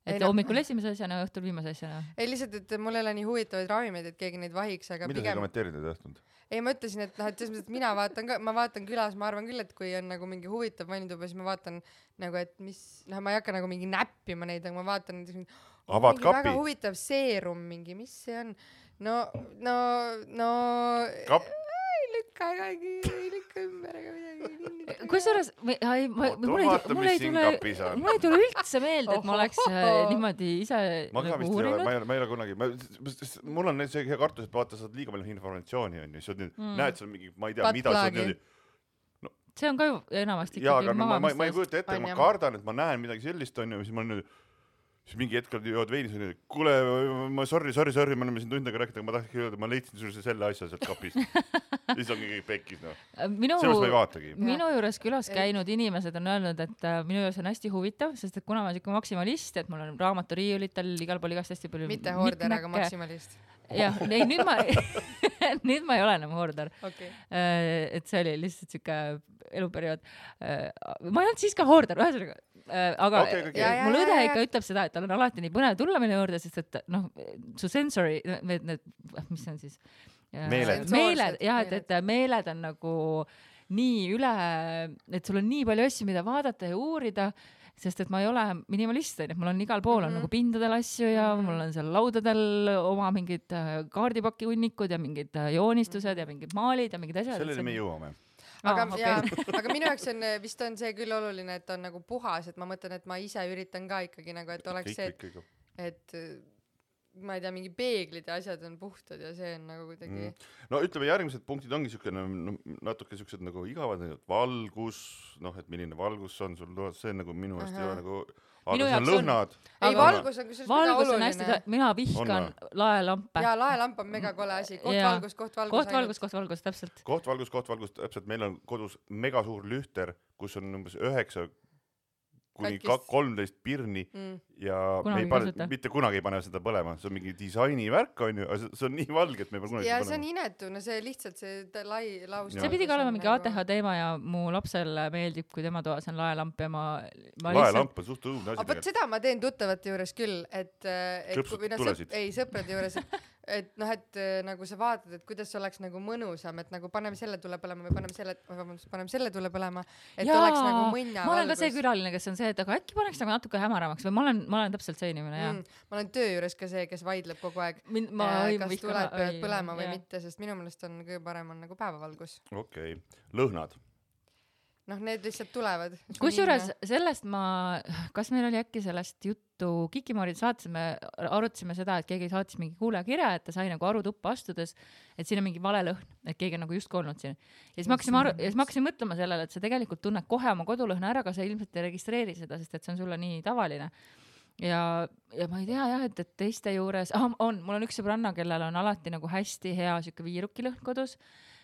Speaker 1: Et ei, hommikul no. esimese asjana ja õhtul viimase asjana.
Speaker 2: Ei lihtsalt, et mul ei ole nii huvitavaid ravimeid, et keegi neid vahiks, aga
Speaker 3: mida
Speaker 2: pigem...
Speaker 3: sa kommenteerid ei tahtnud?
Speaker 2: Ei, ma ütlesin, et, noh, et, et mina vaatan ka, ma vaatan külas, ma arvan küll, et kui on nagu mingi huvitav vannituba, siis ma vaatan nagu, et mis, noh, ma ei hakka nagu mingi näppima neid, aga ma vaatan näiteks oh, mingi kapi. Väga huvitav seerum mingi, mis see on? No, no, no... Kap... ei lükka, ei, ei lükka ümber ega midagi.
Speaker 1: Kusjuures, mul ei tule, mul ei tule üldse meelde, et ma oleks niimoodi ise
Speaker 3: ma nagu uurinud. Ma ei ole, ma ei ole kunagi, ma, mul on see hea kartus, et vaata, saad liiga palju informatsiooni, on ju, sa nüüd mm. näed seal mingi, ma ei tea, mida sa nüüd...
Speaker 1: No. See on ka ju enamasti
Speaker 3: ikkagi maha. Jaa, aga no, ma, ma ei kujuta ette, ma kardan, et ma näen midagi sellist, on ju, siis ma nüüd... siis mingi hetkel jood veinis ja kuule, ma sorry, sorry, sorry, me oleme siin tundega rääkida, aga ma tahtsin öelda, ma leidsin sulle selle asja sealt kapist. Siis ongi kõik pekkis, no.
Speaker 1: Minu,
Speaker 3: sellest ma ei vaatagi.
Speaker 1: Minu juures külas käinud inimesed on öelnud, et minu juures on hästi huvitav, sest et kuna ma olen siuke maksimalist, et mul on raamaturiiulitel igal pool igast hästi palju...
Speaker 2: Mitte hoorder, aga maksimalist.
Speaker 1: Jah, ei, nüüd ma, nüüd ma ei ole enam hoorder.
Speaker 2: Okay.
Speaker 1: Et see oli lihtsalt siuke eluperiood. Ma ei olnud siis ka hoorder, ühesõnaga. Aga
Speaker 3: okay, okay.
Speaker 1: Ja, mul õde ikka ütleb seda, et tal on alati nii põnev tulla minu juurde, sest et noh, su sensory, need, need, mis see on siis?
Speaker 3: Meeled.
Speaker 1: Meeled, jah, et, et meeled on nagu nii üle, et sul on nii palju asju, mida vaadata ja uurida, sest et ma ei ole minimalist, et mul on igal pool on mm-hmm. nagu pindadel asju ja mm-hmm. mul on seal laudadel oma mingid kaardipaki hunnikud ja mingid joonistused mm-hmm. ja mingid maalid ja mingid asjad.
Speaker 3: Sellele me jõuame.
Speaker 2: Aga, ah, okay. ja, aga minu jaoks on, vist on see küll oluline, et on nagu puhas, et ma mõtlen, et ma ise üritan ka ikkagi nagu, et oleks see, et, et ma ei tea, mingi peeglid ja asjad on puhtad ja see on nagu kuidagi mm.
Speaker 3: no ütleme, järgmised punktid ongi siukene no, natuke siuksed nagu igavad, valgus, noh, et milline valgus on sul, see on nagu minu eest ei ole nagu aga see on lõhnad.
Speaker 2: Ei, valgus on kusjuures väga oluline.
Speaker 1: Hästi, mina vihkan laelampe.
Speaker 2: Jaa, laelamp on mega kole asi. Koht ja. valgus, koht valgus.
Speaker 1: Koht valgus, koht valgus, täpselt.
Speaker 3: Koht valgus, koht valgus, täpselt. Meil on kodus mega suur lühter, kus on umbes üheksa kuni
Speaker 2: Katkist.
Speaker 3: kolmteist pirni mm. ja
Speaker 1: kunagi
Speaker 3: me ei pane,
Speaker 1: kasuta.
Speaker 3: mitte kunagi ei pane seda põlema, see on mingi disaini värk on ju, see on nii valge, et me ei pane kunagi
Speaker 2: ja
Speaker 3: seda
Speaker 2: see on
Speaker 3: põlema.
Speaker 2: inetu, no see lihtsalt see lai laust.
Speaker 1: See pidi ka olema mingi A T H teema ja mu lapsel meeldib, kui tema toas on laelamp ja ma, ma
Speaker 3: laelamp on suht õudne asi.
Speaker 2: aga vot seda ma teen tuttavate juures küll, et, et
Speaker 3: Klõpsud
Speaker 2: kui, no,
Speaker 3: tulesid.
Speaker 2: Sõp, ei sõprade juures, et, et noh, et nagu sa vaatad, et kuidas oleks nagu mõnusam, et nagu paneme selle tule põlema või paneme selle, vabandust, paneme selle tule põlema, et
Speaker 1: Jaa,
Speaker 2: oleks nagu mõnna
Speaker 1: ma olen ka
Speaker 2: valgus.
Speaker 1: see külaline, kes on see, et aga äkki paneks nagu natuke hämaramaks või ma olen, ma olen täpselt see inimene, jah.
Speaker 2: Mm, ma olen töö juures ka see, kes vaidleb kogu aeg,
Speaker 1: Mind, ma
Speaker 2: äh,
Speaker 1: õim
Speaker 2: kas
Speaker 1: vihkan-
Speaker 2: tuled peavad
Speaker 1: õi-
Speaker 2: põlema või
Speaker 1: jah.
Speaker 2: mitte, sest minu meelest on kõige parem on nagu päevavalgus.
Speaker 3: okei okay., lõhnad.
Speaker 2: noh, need lihtsalt tulevad.
Speaker 1: Kusjuures sellest ma, kas meil oli äkki sellest juttu Kikimoorid saates, me arutasime seda, et keegi saatis mingi kuulajakirja, et ta sai nagu arutuppa astudes, et siin on mingi vale lõhn, et keegi on nagu just olnud siin. Ja siis ma hakkasin, aru, ja siis ma hakkasin mõtlema sellele, et sa tegelikult tunned kohe oma kodulõhna ära, aga sa ilmselt ei registreeri seda, sest et see on sulle nii tavaline. Ja, ja ma ei tea jah, et, et teiste juures, ah, on, mul on üks sõbranna, kellel on alati nagu hästi hea siuke viiruki lõhn kodus,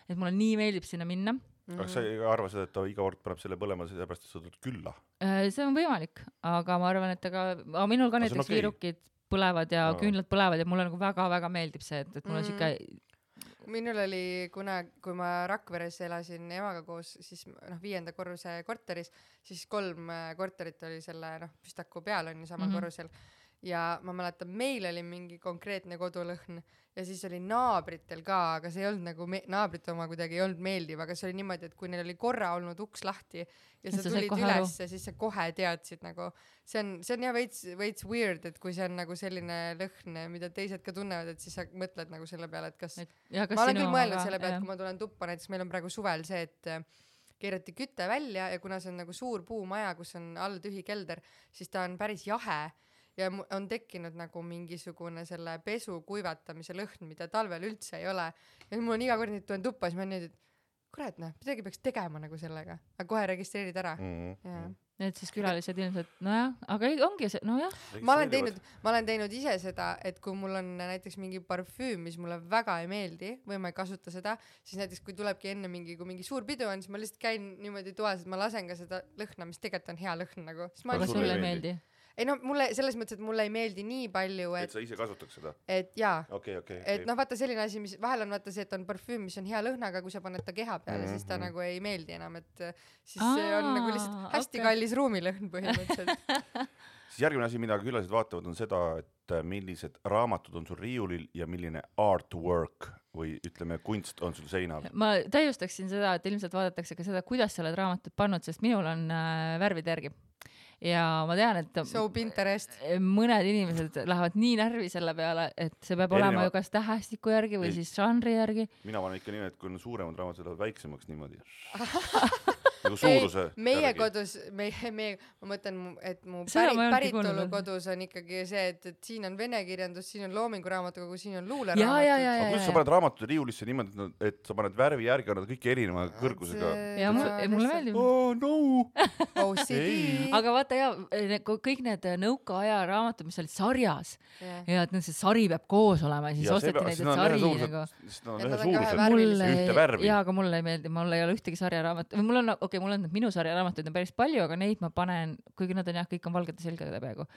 Speaker 1: et mulle nii meeldib sinna minna.
Speaker 3: Mm-hmm. Aga sa ei arva seda, et ta iga kord paneb selle põlema, sellepärast, et sa tuled külla?
Speaker 1: See on võimalik, aga ma arvan, et aga, aga minul ka näiteks okay. Viirukid põlevad ja no. küünlad põlevad ja mulle nagu väga-väga meeldib see, et, et mul on mm. siuke...
Speaker 2: Minul oli, kuna, kui ma Rakveres elasin emaga koos, siis noh, viienda korruse korteris, siis kolm korterit oli selle noh, Pistaku peal on ju samal mm-hmm. korrusel. Ja ma mäletan, meil oli mingi konkreetne kodulõhn ja siis oli naabritel ka, aga see ei olnud nagu me- naabrite oma kuidagi ei olnud meeldiv, aga see oli niimoodi, et kui neil oli korra olnud uks lahti ja sa tulid ülesse, siis sa kohe teadsid nagu, see on, see on jah veits, veits weird, et kui see on nagu selline lõhn, mida teised ka tunnevad, et siis sa mõtled nagu selle peale, et kas, et, ja, kas ma olen küll mõelnud selle peale, et kui ma tulen tuppa, näiteks meil on praegu suvel see, et keerati küte välja ja kuna see on nagu suur puumaja, kus on all tühi kelder, siis ta on päris jahe ja on tekkinud nagu mingisugune selle pesu kuivatamise lõhn, mida talvel üldse ei ole. Ja mul on iga kord nüüd tulen tuppa, siis ma nüüd, et kurat, noh, midagi peaks tegema nagu sellega. Aga kohe registreerid ära.
Speaker 3: Mm-hmm.
Speaker 1: Need siis külalised ilmselt, nojah, aga ongi see, nojah.
Speaker 2: Ma olen teinud, ma olen teinud ise seda, et kui mul on näiteks mingi parfüüm, mis mulle väga ei meeldi või ma ei kasuta seda, siis näiteks kui tulebki enne mingi, kui mingi suur pidu on, siis ma lihtsalt käin niimoodi toas, et ma lasen ka seda lõhna, mis tegelikult on hea lõhn nagu.
Speaker 1: Aga sulle ei meeldi?
Speaker 2: Ei no mulle selles mõttes, et mulle ei meeldi nii palju, et...
Speaker 3: Et sa ise kasutaks seda?
Speaker 2: Et jaa.
Speaker 3: Okay, okay,
Speaker 2: et okay. noh, vaata selline asi, mis vahel on vaata see, et on parfüüm, mis on hea lõhnaga, kui sa paned ta keha peale, mm-hmm. siis ta nagu ei meeldi enam, et siis Aa, see on nagu lihtsalt hästi okay. kallis ruumilõhn põhimõtteliselt.
Speaker 3: Siis järgmine asi, mida külalised vaatavad, on seda, et millised raamatud on sul riiulil ja milline artwork või ütleme, kunst on sul seinal.
Speaker 1: Ma täiustaksin seda, et ilmselt vaadatakse ka seda, kuidas sa oled raamatut pannud, sest minul on äh, värvide järgi. Ja ma tean, et
Speaker 2: so Pinterest.
Speaker 1: mõned inimesed lähevad nii närvi selle peale, et see peab Erineva... olema ju kas tähestiku järgi või ei. Siis žanri järgi.
Speaker 3: Mina panen ikka nii, et kui on suuremad raamatud, lähevad väiksemaks niimoodi. nagu suuruse.
Speaker 2: Ei, meie järgi. Kodus, meie, meie, ma mõtlen, et mu pärit, päritolu kodus on ikkagi see, et, et siin on vene kirjandus, siin on loominguraamatukogu, siin on luuleraamatud.
Speaker 1: Aga
Speaker 3: kuidas sa paned raamatute riiulisse niimoodi, et sa paned värvi järgi, on nad kõik erineva kõrgusega?
Speaker 1: Ja mulle, mulle meeldib.
Speaker 3: Oh no!
Speaker 2: O C D.
Speaker 1: Aga vaata ja kõik need nõukaaja raamatud, mis olid sarjas yeah. ja et see sari peab koos olema ja siis ja osteti neid, et sari nagu...
Speaker 3: Sest nad on ühe suuruse, ühte värvi.
Speaker 1: Jaa, aga mulle ei meeldi, mul ei ole ühtegi sarjaraamat. Või mul on, okei, okay, mul on minu sarjaraamatuid on päris palju, aga neid ma panen, kuigi nad on jah, kõik on valgete selgade peaaegu.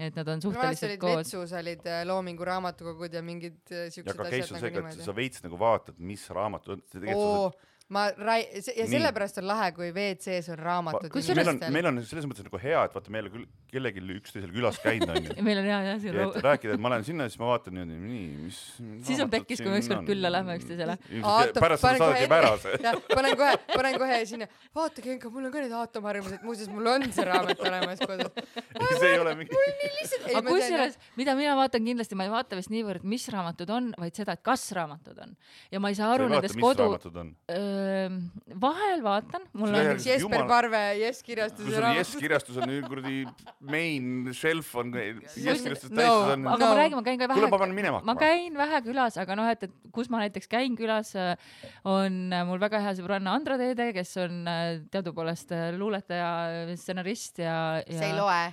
Speaker 1: Et nad on suhteliselt koos.
Speaker 2: Vetsus olid loomingu raamatukogud ja mingid siuksed
Speaker 3: ja ka
Speaker 2: asjad
Speaker 3: nagu niimoodi. Ja ka veits nagu vaatad, mis raamatud on.
Speaker 2: Oo, ma rai- ja sellepärast on lahe, kui V C-s on raamatud.
Speaker 3: Meil on, meil on selles mõttes nagu hea, et vaata meile küll kellegi üksteisel külas käinud on ju.
Speaker 1: Meil on hea, jah.
Speaker 3: Ja et rääkida, et ma lähen sinna ja siis ma vaatan nii, nii mis...
Speaker 1: Siis on pekkis, kui me ükskord külla lähme üksteisele.
Speaker 3: Pärast seda saadagi päras.
Speaker 2: Panen kohe, panen kohe sinna. Vaata, Genka, mul on ka need aatomharjumused. Muuseas, mul on see raamat olemas kodus.
Speaker 3: See ei ole mingi...
Speaker 1: Aga kusjuures, mida mina vaatan kindlasti, ma ei vaata vist niivõrd, mis raamatud on, vaid seda, et kas raamatud on. Ja ma ei saa aru nendes kodu... Vahel vaatan. Mul on
Speaker 2: Jesper Parve, Jess kirjastus.
Speaker 3: Kui sul Jess kirjastus on kuradi main shelf on Jess kirjastus täis.
Speaker 1: Aga ma räägin, ma käin ka vähe.
Speaker 3: Kuule, ma panen minema.
Speaker 1: Ma käin vähe külas, aga noh, et, et kus ma näiteks käin külas, on mul väga hea sõbranna Andra Teede, kes on teadupoolest luuletaja, stsenarist ja...
Speaker 2: See ei loe.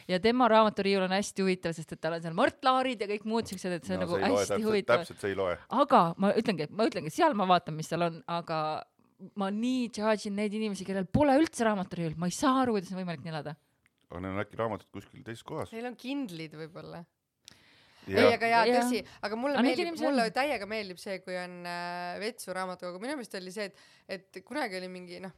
Speaker 1: Ja tema raamaturiiul on hästi huvitav, sest et tal on seal Mart Laarid ja kõik muud siuksed, et see on no, nagu hästi
Speaker 3: täpselt,
Speaker 1: huvitav.
Speaker 3: Täpselt see ei loe.
Speaker 1: Aga ma ütlengi, ma ütlengi, seal ma vaatan, mis seal on, aga ma nii judge'in neid inimesi, kellel pole üldse raamaturiiul. Ma ei saa aru, kuidas on võimalik nii elada.
Speaker 3: aga neil on äkki raamatud kuskil teises kohas.
Speaker 2: Neil on kindlid võib-olla.
Speaker 3: Ja.
Speaker 2: ei, aga jaa,
Speaker 1: Ja.
Speaker 2: tõsi, aga mulle
Speaker 1: Aga neid
Speaker 2: meeldib,
Speaker 1: inimesi
Speaker 2: mulle
Speaker 1: on.
Speaker 2: täiega meeldib see, kui on äh, vetsu raamatukogu. Minu meelest oli see, et, et kunagi oli mingi, noh,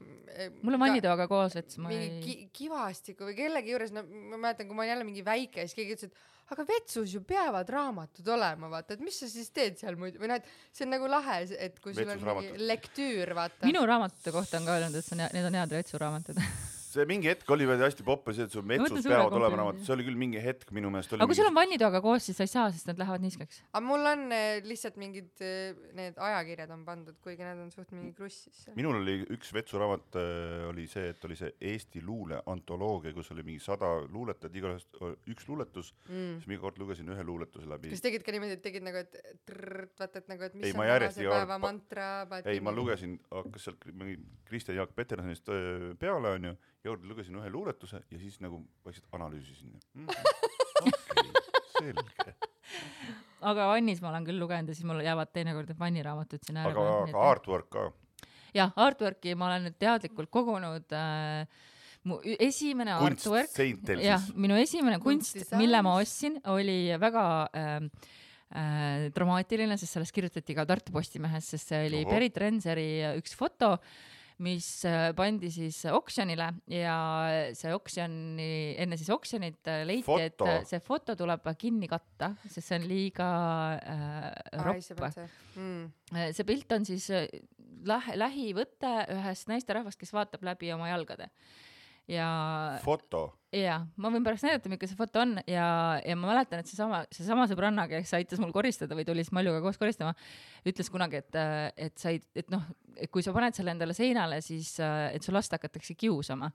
Speaker 1: Mul on vannitoaga koos, et ma
Speaker 2: mingi
Speaker 1: ei...
Speaker 2: ki, kivastiku või kellegi juures, no ma mäletan, kui ma olin jälle mingi väike, siis keegi ütles, et aga vetsus ju peavad raamatud olema, vaata, et mis sa siis teed seal muidu, või noh, et see on nagu lahe, et kui sul
Speaker 3: Vetsus
Speaker 2: on mingi
Speaker 3: raamatud.
Speaker 2: lektüür, vaata.
Speaker 1: Minu raamatute kohta on ka öelnud, et see on, need on head vetsuraamatud.
Speaker 3: see mingi hetk oli veel hästi poppe see, et sul metsus
Speaker 1: mõtlen suure
Speaker 3: peavad olema
Speaker 1: komplimendi.
Speaker 3: raamatud. See oli küll mingi hetk minu meelest.
Speaker 1: Aga kui sul on vannitoaga koos, siis sa ei saa, sest nad lähevad niiskeks.
Speaker 2: aga mul on eh, lihtsalt mingid eh, need ajakirjad on pandud, kuigi need on suht mingi krussis.
Speaker 3: Minul oli üks vetsuraamat äh, oli see, et oli see Eesti luule antoloogia, kus oli mingi sada luuletajat, igast üks luuletus,
Speaker 2: Mm.
Speaker 3: siis mingi kord lugesin ühe luuletuse läbi.
Speaker 2: kas tegid ka niimoodi, et tegid nagu, et trrrt, vaata, et nagu, et mis
Speaker 3: Ei,
Speaker 2: on
Speaker 3: ma järjest
Speaker 2: tänase
Speaker 3: iga kord
Speaker 2: päeva
Speaker 3: pa-
Speaker 2: mantra?
Speaker 3: Ei, ma lugesin, hakkas sealt mingi Kristjan Jaak Petersonist öö, peale, on ju, jõud lugesin ühe luuletuse ja siis nagu vaikselt analüüsisin. Mm -hmm. okay, selge.
Speaker 1: Aga vannis ma olen küll lugenud ja siis mul jäävad teinekord need vanniraamatud siin ääre
Speaker 3: Aga, aga artwork ka.
Speaker 1: jah, artworki ma olen nüüd teadlikult kogunud äh, mu ü- esimene
Speaker 3: Kunst
Speaker 1: artwork,
Speaker 3: seintel
Speaker 1: jah,
Speaker 3: siis.
Speaker 1: minu esimene kunst,
Speaker 2: Kunstisaal.
Speaker 1: mille ma ostsin, oli väga äh, äh, dramaatiline, sest sellest kirjutati ka Tartu Postimehes, sest see oli
Speaker 3: Oho.
Speaker 1: Berit Renseri üks foto, mis äh, pandi siis oksjonile ja see oksjoni, enne siis oksjonit äh, leiti,
Speaker 3: Foto.
Speaker 1: et äh, see foto tuleb kinni katta, sest see on liiga äh,
Speaker 2: Ai, see
Speaker 1: ropp.
Speaker 2: peab see. Mm.
Speaker 1: see pilt on siis äh, lähe, lähivõte ühest naisterahvast, kes vaatab läbi oma jalgade. Ja
Speaker 3: Foto.
Speaker 1: ja ma võin pärast näidata, milline see foto on ja, ja ma mäletan, et seesama, seesama sõbranna, kes aitas mul koristada või tuli siis Maljuga koos koristama, ütles kunagi, et, et sa ei, et noh, et kui sa paned selle endale seinale, siis et su last hakatakse kiusama.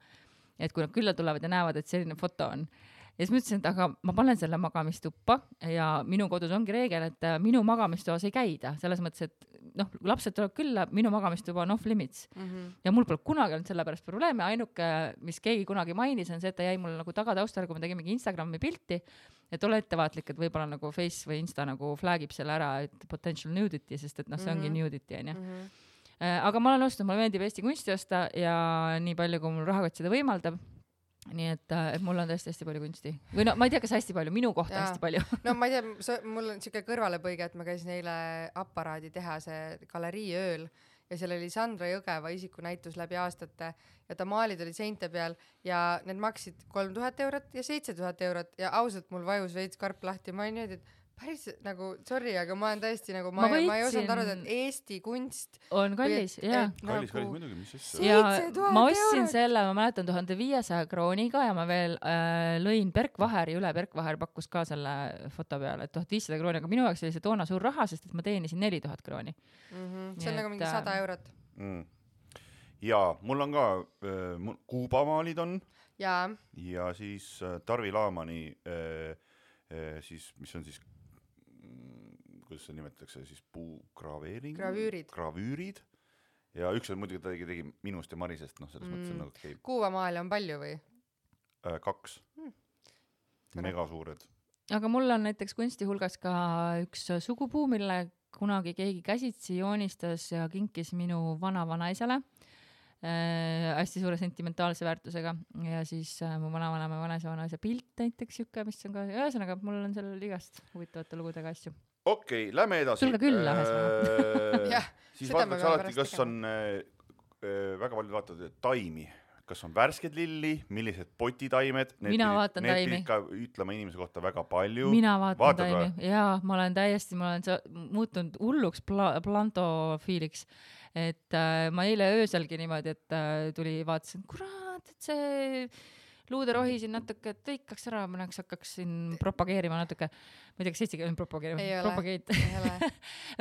Speaker 1: Et kui nad külla tulevad ja näevad, et selline foto on. Ja siis ma ütlesin, et aga ma panen selle magamistuppa ja minu kodus ongi reegel, et minu magamistoas ei käida. Selles mõttes, et noh, lapsed tuleb külla, minu magamistuba on off limits.
Speaker 2: Mm-hmm.
Speaker 1: Ja mul pole kunagi olnud selle pärast probleeme, ainuke, mis keegi kunagi mainis, on see, et ta jäi mulle nagu tagataustale, kui ma tegin mingi Instagrami pilti, et ole ettevaatlik, et võib-olla nagu Face või Insta nagu flagib selle ära, et potential nudity, sest et noh, see ongi
Speaker 2: Mhm.
Speaker 1: nudity, on ju.
Speaker 2: Mm-hmm.
Speaker 1: Aga ma olen ostnud, mulle meeldib Eesti kunsti osta ja nii palju, kui mul rahakott seda võimaldab. Nii et, et mul on tõesti hästi palju kunsti. Või no ma ei tea, kas hästi palju, minu kohta
Speaker 2: Jaa.
Speaker 1: hästi palju.
Speaker 2: no ma ei tea, mul on siuke kõrvalepõige, et ma käisin eile Aparaadi tehase galerii ööl ja seal oli Sandra Jõgeva isikunäitus läbi aastate ja ta maalid olid seinte peal ja need maksid kolm tuhat eurot ja seitse tuhat eurot ja ausalt mul vajus veits karp lahti. Ma olin nüüd, et päris nagu, sorry, aga ma olen tõesti nagu, ma,
Speaker 1: Ma
Speaker 2: ma, ma ei
Speaker 1: võitsin-
Speaker 2: osanud arvata, et Eesti kunst
Speaker 1: On kallis, jah.
Speaker 3: Kallis, kallis muidugi, mis siis?
Speaker 1: Ja
Speaker 2: seitse tuhat
Speaker 1: ma ostsin
Speaker 2: eurot.
Speaker 1: selle, ma mäletan tuhande viiesaja krooniga ja ma veel äh, lõin Berk Vaheri üle, Berk Vaher pakkus ka selle foto peale, et tuhat viissada krooni, aga minu jaoks oli see toona suur raha, sest et ma teenisin neli tuhat krooni.
Speaker 2: mm-hmm. see on
Speaker 1: Nii
Speaker 2: nagu
Speaker 1: et,
Speaker 2: mingi sada eurot
Speaker 3: Mm. Ja mul on ka äh, mul kuubamaalid on
Speaker 2: ja
Speaker 3: ja siis äh, Tarvi Laamani äh, äh, siis, mis on siis mm, kuidas see nimetatakse, siis puugraveering?
Speaker 2: Gravüürid.
Speaker 3: Gravüürid. Ja üks on muidugi, ta tegi, tegi minust ja Marisest, noh, selles mm. mõttes on nagu keib.
Speaker 2: kuuvamaale on palju või?
Speaker 3: Äh, kaks.
Speaker 2: Hmm.
Speaker 3: Megasuured.
Speaker 1: Aga mul on näiteks kunsti hulgas ka üks sugupuu, mille kunagi keegi käsitsi joonistas ja kinkis minu vana-vanaisale äh, hästi suure sentimentaalse väärtusega ja siis äh, mu vana-vanama vanaisa vanaisa pilt näiteks siuke, mis on ka, ühesõnaga mul on seal igast huvitavate lugudega asju.
Speaker 3: Okei, okay, lähme edasi.
Speaker 1: Sul ka küll,
Speaker 3: äh,
Speaker 2: Jah,
Speaker 3: siis
Speaker 2: seda me
Speaker 3: vaataks
Speaker 2: peame
Speaker 3: alati,
Speaker 2: pärast
Speaker 3: kas
Speaker 2: tegema.
Speaker 3: on äh, väga palju vaatavad taimi. Kas on värsked lilli, millised potitaimed.
Speaker 1: Mina vaatan
Speaker 3: need
Speaker 1: taimi.
Speaker 3: Need pidid ka ütlema inimese kohta väga palju.
Speaker 1: Mina vaatan
Speaker 3: Vaatad
Speaker 1: taimi.
Speaker 3: või?
Speaker 1: Jaa, ma olen täiesti, ma olen sa- muutunud hulluks pla- plantofiiliks. Et äh, ma eile ööselgi niimoodi, et äh, tuli vaatasin, kurat, et see luuderohi siin natuke tõikaks ära, ma näeks hakkaks siin propageerima natuke. Ma ei tea, kas eesti keel on propageerima.
Speaker 2: Ei ole.
Speaker 1: Propageet.
Speaker 2: Ei ole.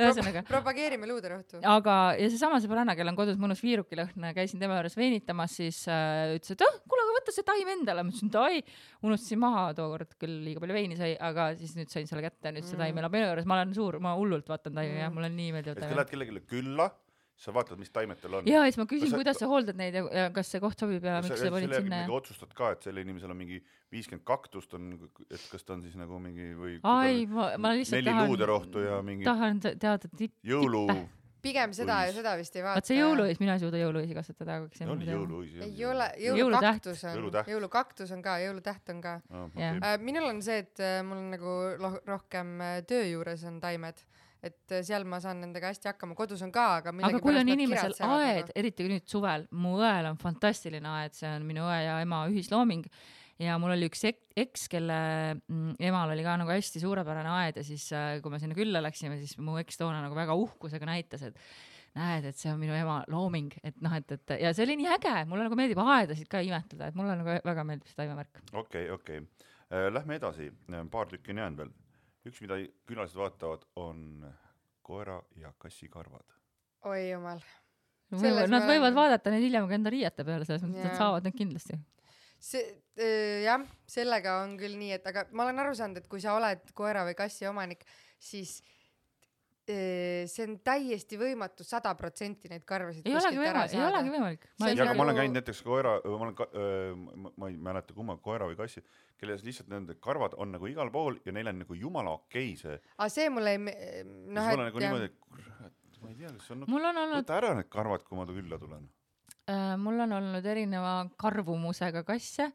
Speaker 1: Ühesõnaga.
Speaker 2: Pro- propageerime luuderohtu.
Speaker 1: Aga ja seesama sõbranna, kell on kodus mõnus viirukilõhn, käisin tema juures veenitamas, siis äh, ütles, et oh, kuule, aga võtta see taim endale. Ma ütlesin, et ai, unustasin maha tookord, küll liiga palju veini sai, aga siis nüüd sain selle kätte, nüüd see taim elab minu juures. Ma olen suur, ma hullult vaatan taimi ja mul on nii meeldiv
Speaker 3: Et kui
Speaker 1: taim.
Speaker 3: lähed kellelegi külla, sa vaatad, mis taimed tal on.
Speaker 1: Ja siis ma küsin,
Speaker 3: Kas sa-
Speaker 1: kuidas sa hooldad neid ja, ja kas see koht sobib ja
Speaker 3: Kas
Speaker 1: miks
Speaker 3: sa
Speaker 1: sa panid
Speaker 3: selle
Speaker 1: sinna.
Speaker 3: järgi otsustad ka, et selle inimesel on mingi viiskümmend kaktust, on, et kas ta on siis nagu mingi või
Speaker 1: Ai, ma, ma lihtsalt
Speaker 3: neli
Speaker 1: tahan,
Speaker 3: luuderohtu ja mingi
Speaker 1: tahan te- teada tipp,
Speaker 3: jõulu
Speaker 2: pigem seda ja seda vist ei vaata.
Speaker 1: Vaat see jõuluõis, mina ei suuda jõuluõisi kasvatada.
Speaker 3: See oli jõuluõis.
Speaker 2: Ei ole, jõulukaktus on,
Speaker 3: jõulutäht.
Speaker 2: jõulukaktus on ka, jõulutäht on ka.
Speaker 3: Oh, okay.
Speaker 2: Minul on see, et mul on nagu rohkem töö juures on taimed, et seal ma saan nendega hästi hakkama, kodus on ka, aga
Speaker 1: aga kui on inimesel aed, eriti nüüd suvel, mu õel on fantastiline aed, see on minu õe ja ema ühislooming ja mul oli üks eks, kelle emal oli ka nagu hästi suurepärane aed ja siis kui me sinna külla läksime, siis mu eks toona nagu väga uhkusega näitas, et näed, et see on minu ema looming, et noh, et, et ja see oli nii äge, mulle nagu meeldib aedasid ka imetleda, et mulle nagu väga meeldib see taimemärk.
Speaker 3: Okei, okei. Lähme edasi, paar tükki on jäänud veel. Üks, mida külalised vaatavad, on koera ja kassi karvad.
Speaker 2: Oi jumal.
Speaker 1: Nad ma... võivad vaadata neid hiljem ka enda riiete peale, selles mõttes, et saavad need kindlasti.
Speaker 2: See, äh, jah, sellega on küll nii, et aga ma olen aru saanud, et kui sa oled koera või kassi omanik, siis äh, see on täiesti võimatu sada protsenti neid karvasid
Speaker 1: ei olegi võimalik, ei olegi võimalik.
Speaker 3: Ja aga nagu... ma olen käinud näiteks koera, ma, olen ka, äh, ma ei mäleta kumma koera või kassi, kelles lihtsalt nende karvad on nagu igal pool ja neil on nagu jumala okei see.
Speaker 2: Aga see mulle ei...
Speaker 3: No, et, nagu niimoodi, et ma ei tea, kas on...
Speaker 1: Mul on olnud...
Speaker 3: Võta ära need karvad, kui ma külla tulen.
Speaker 1: Äh, mul on olnud erineva karvumusega kasse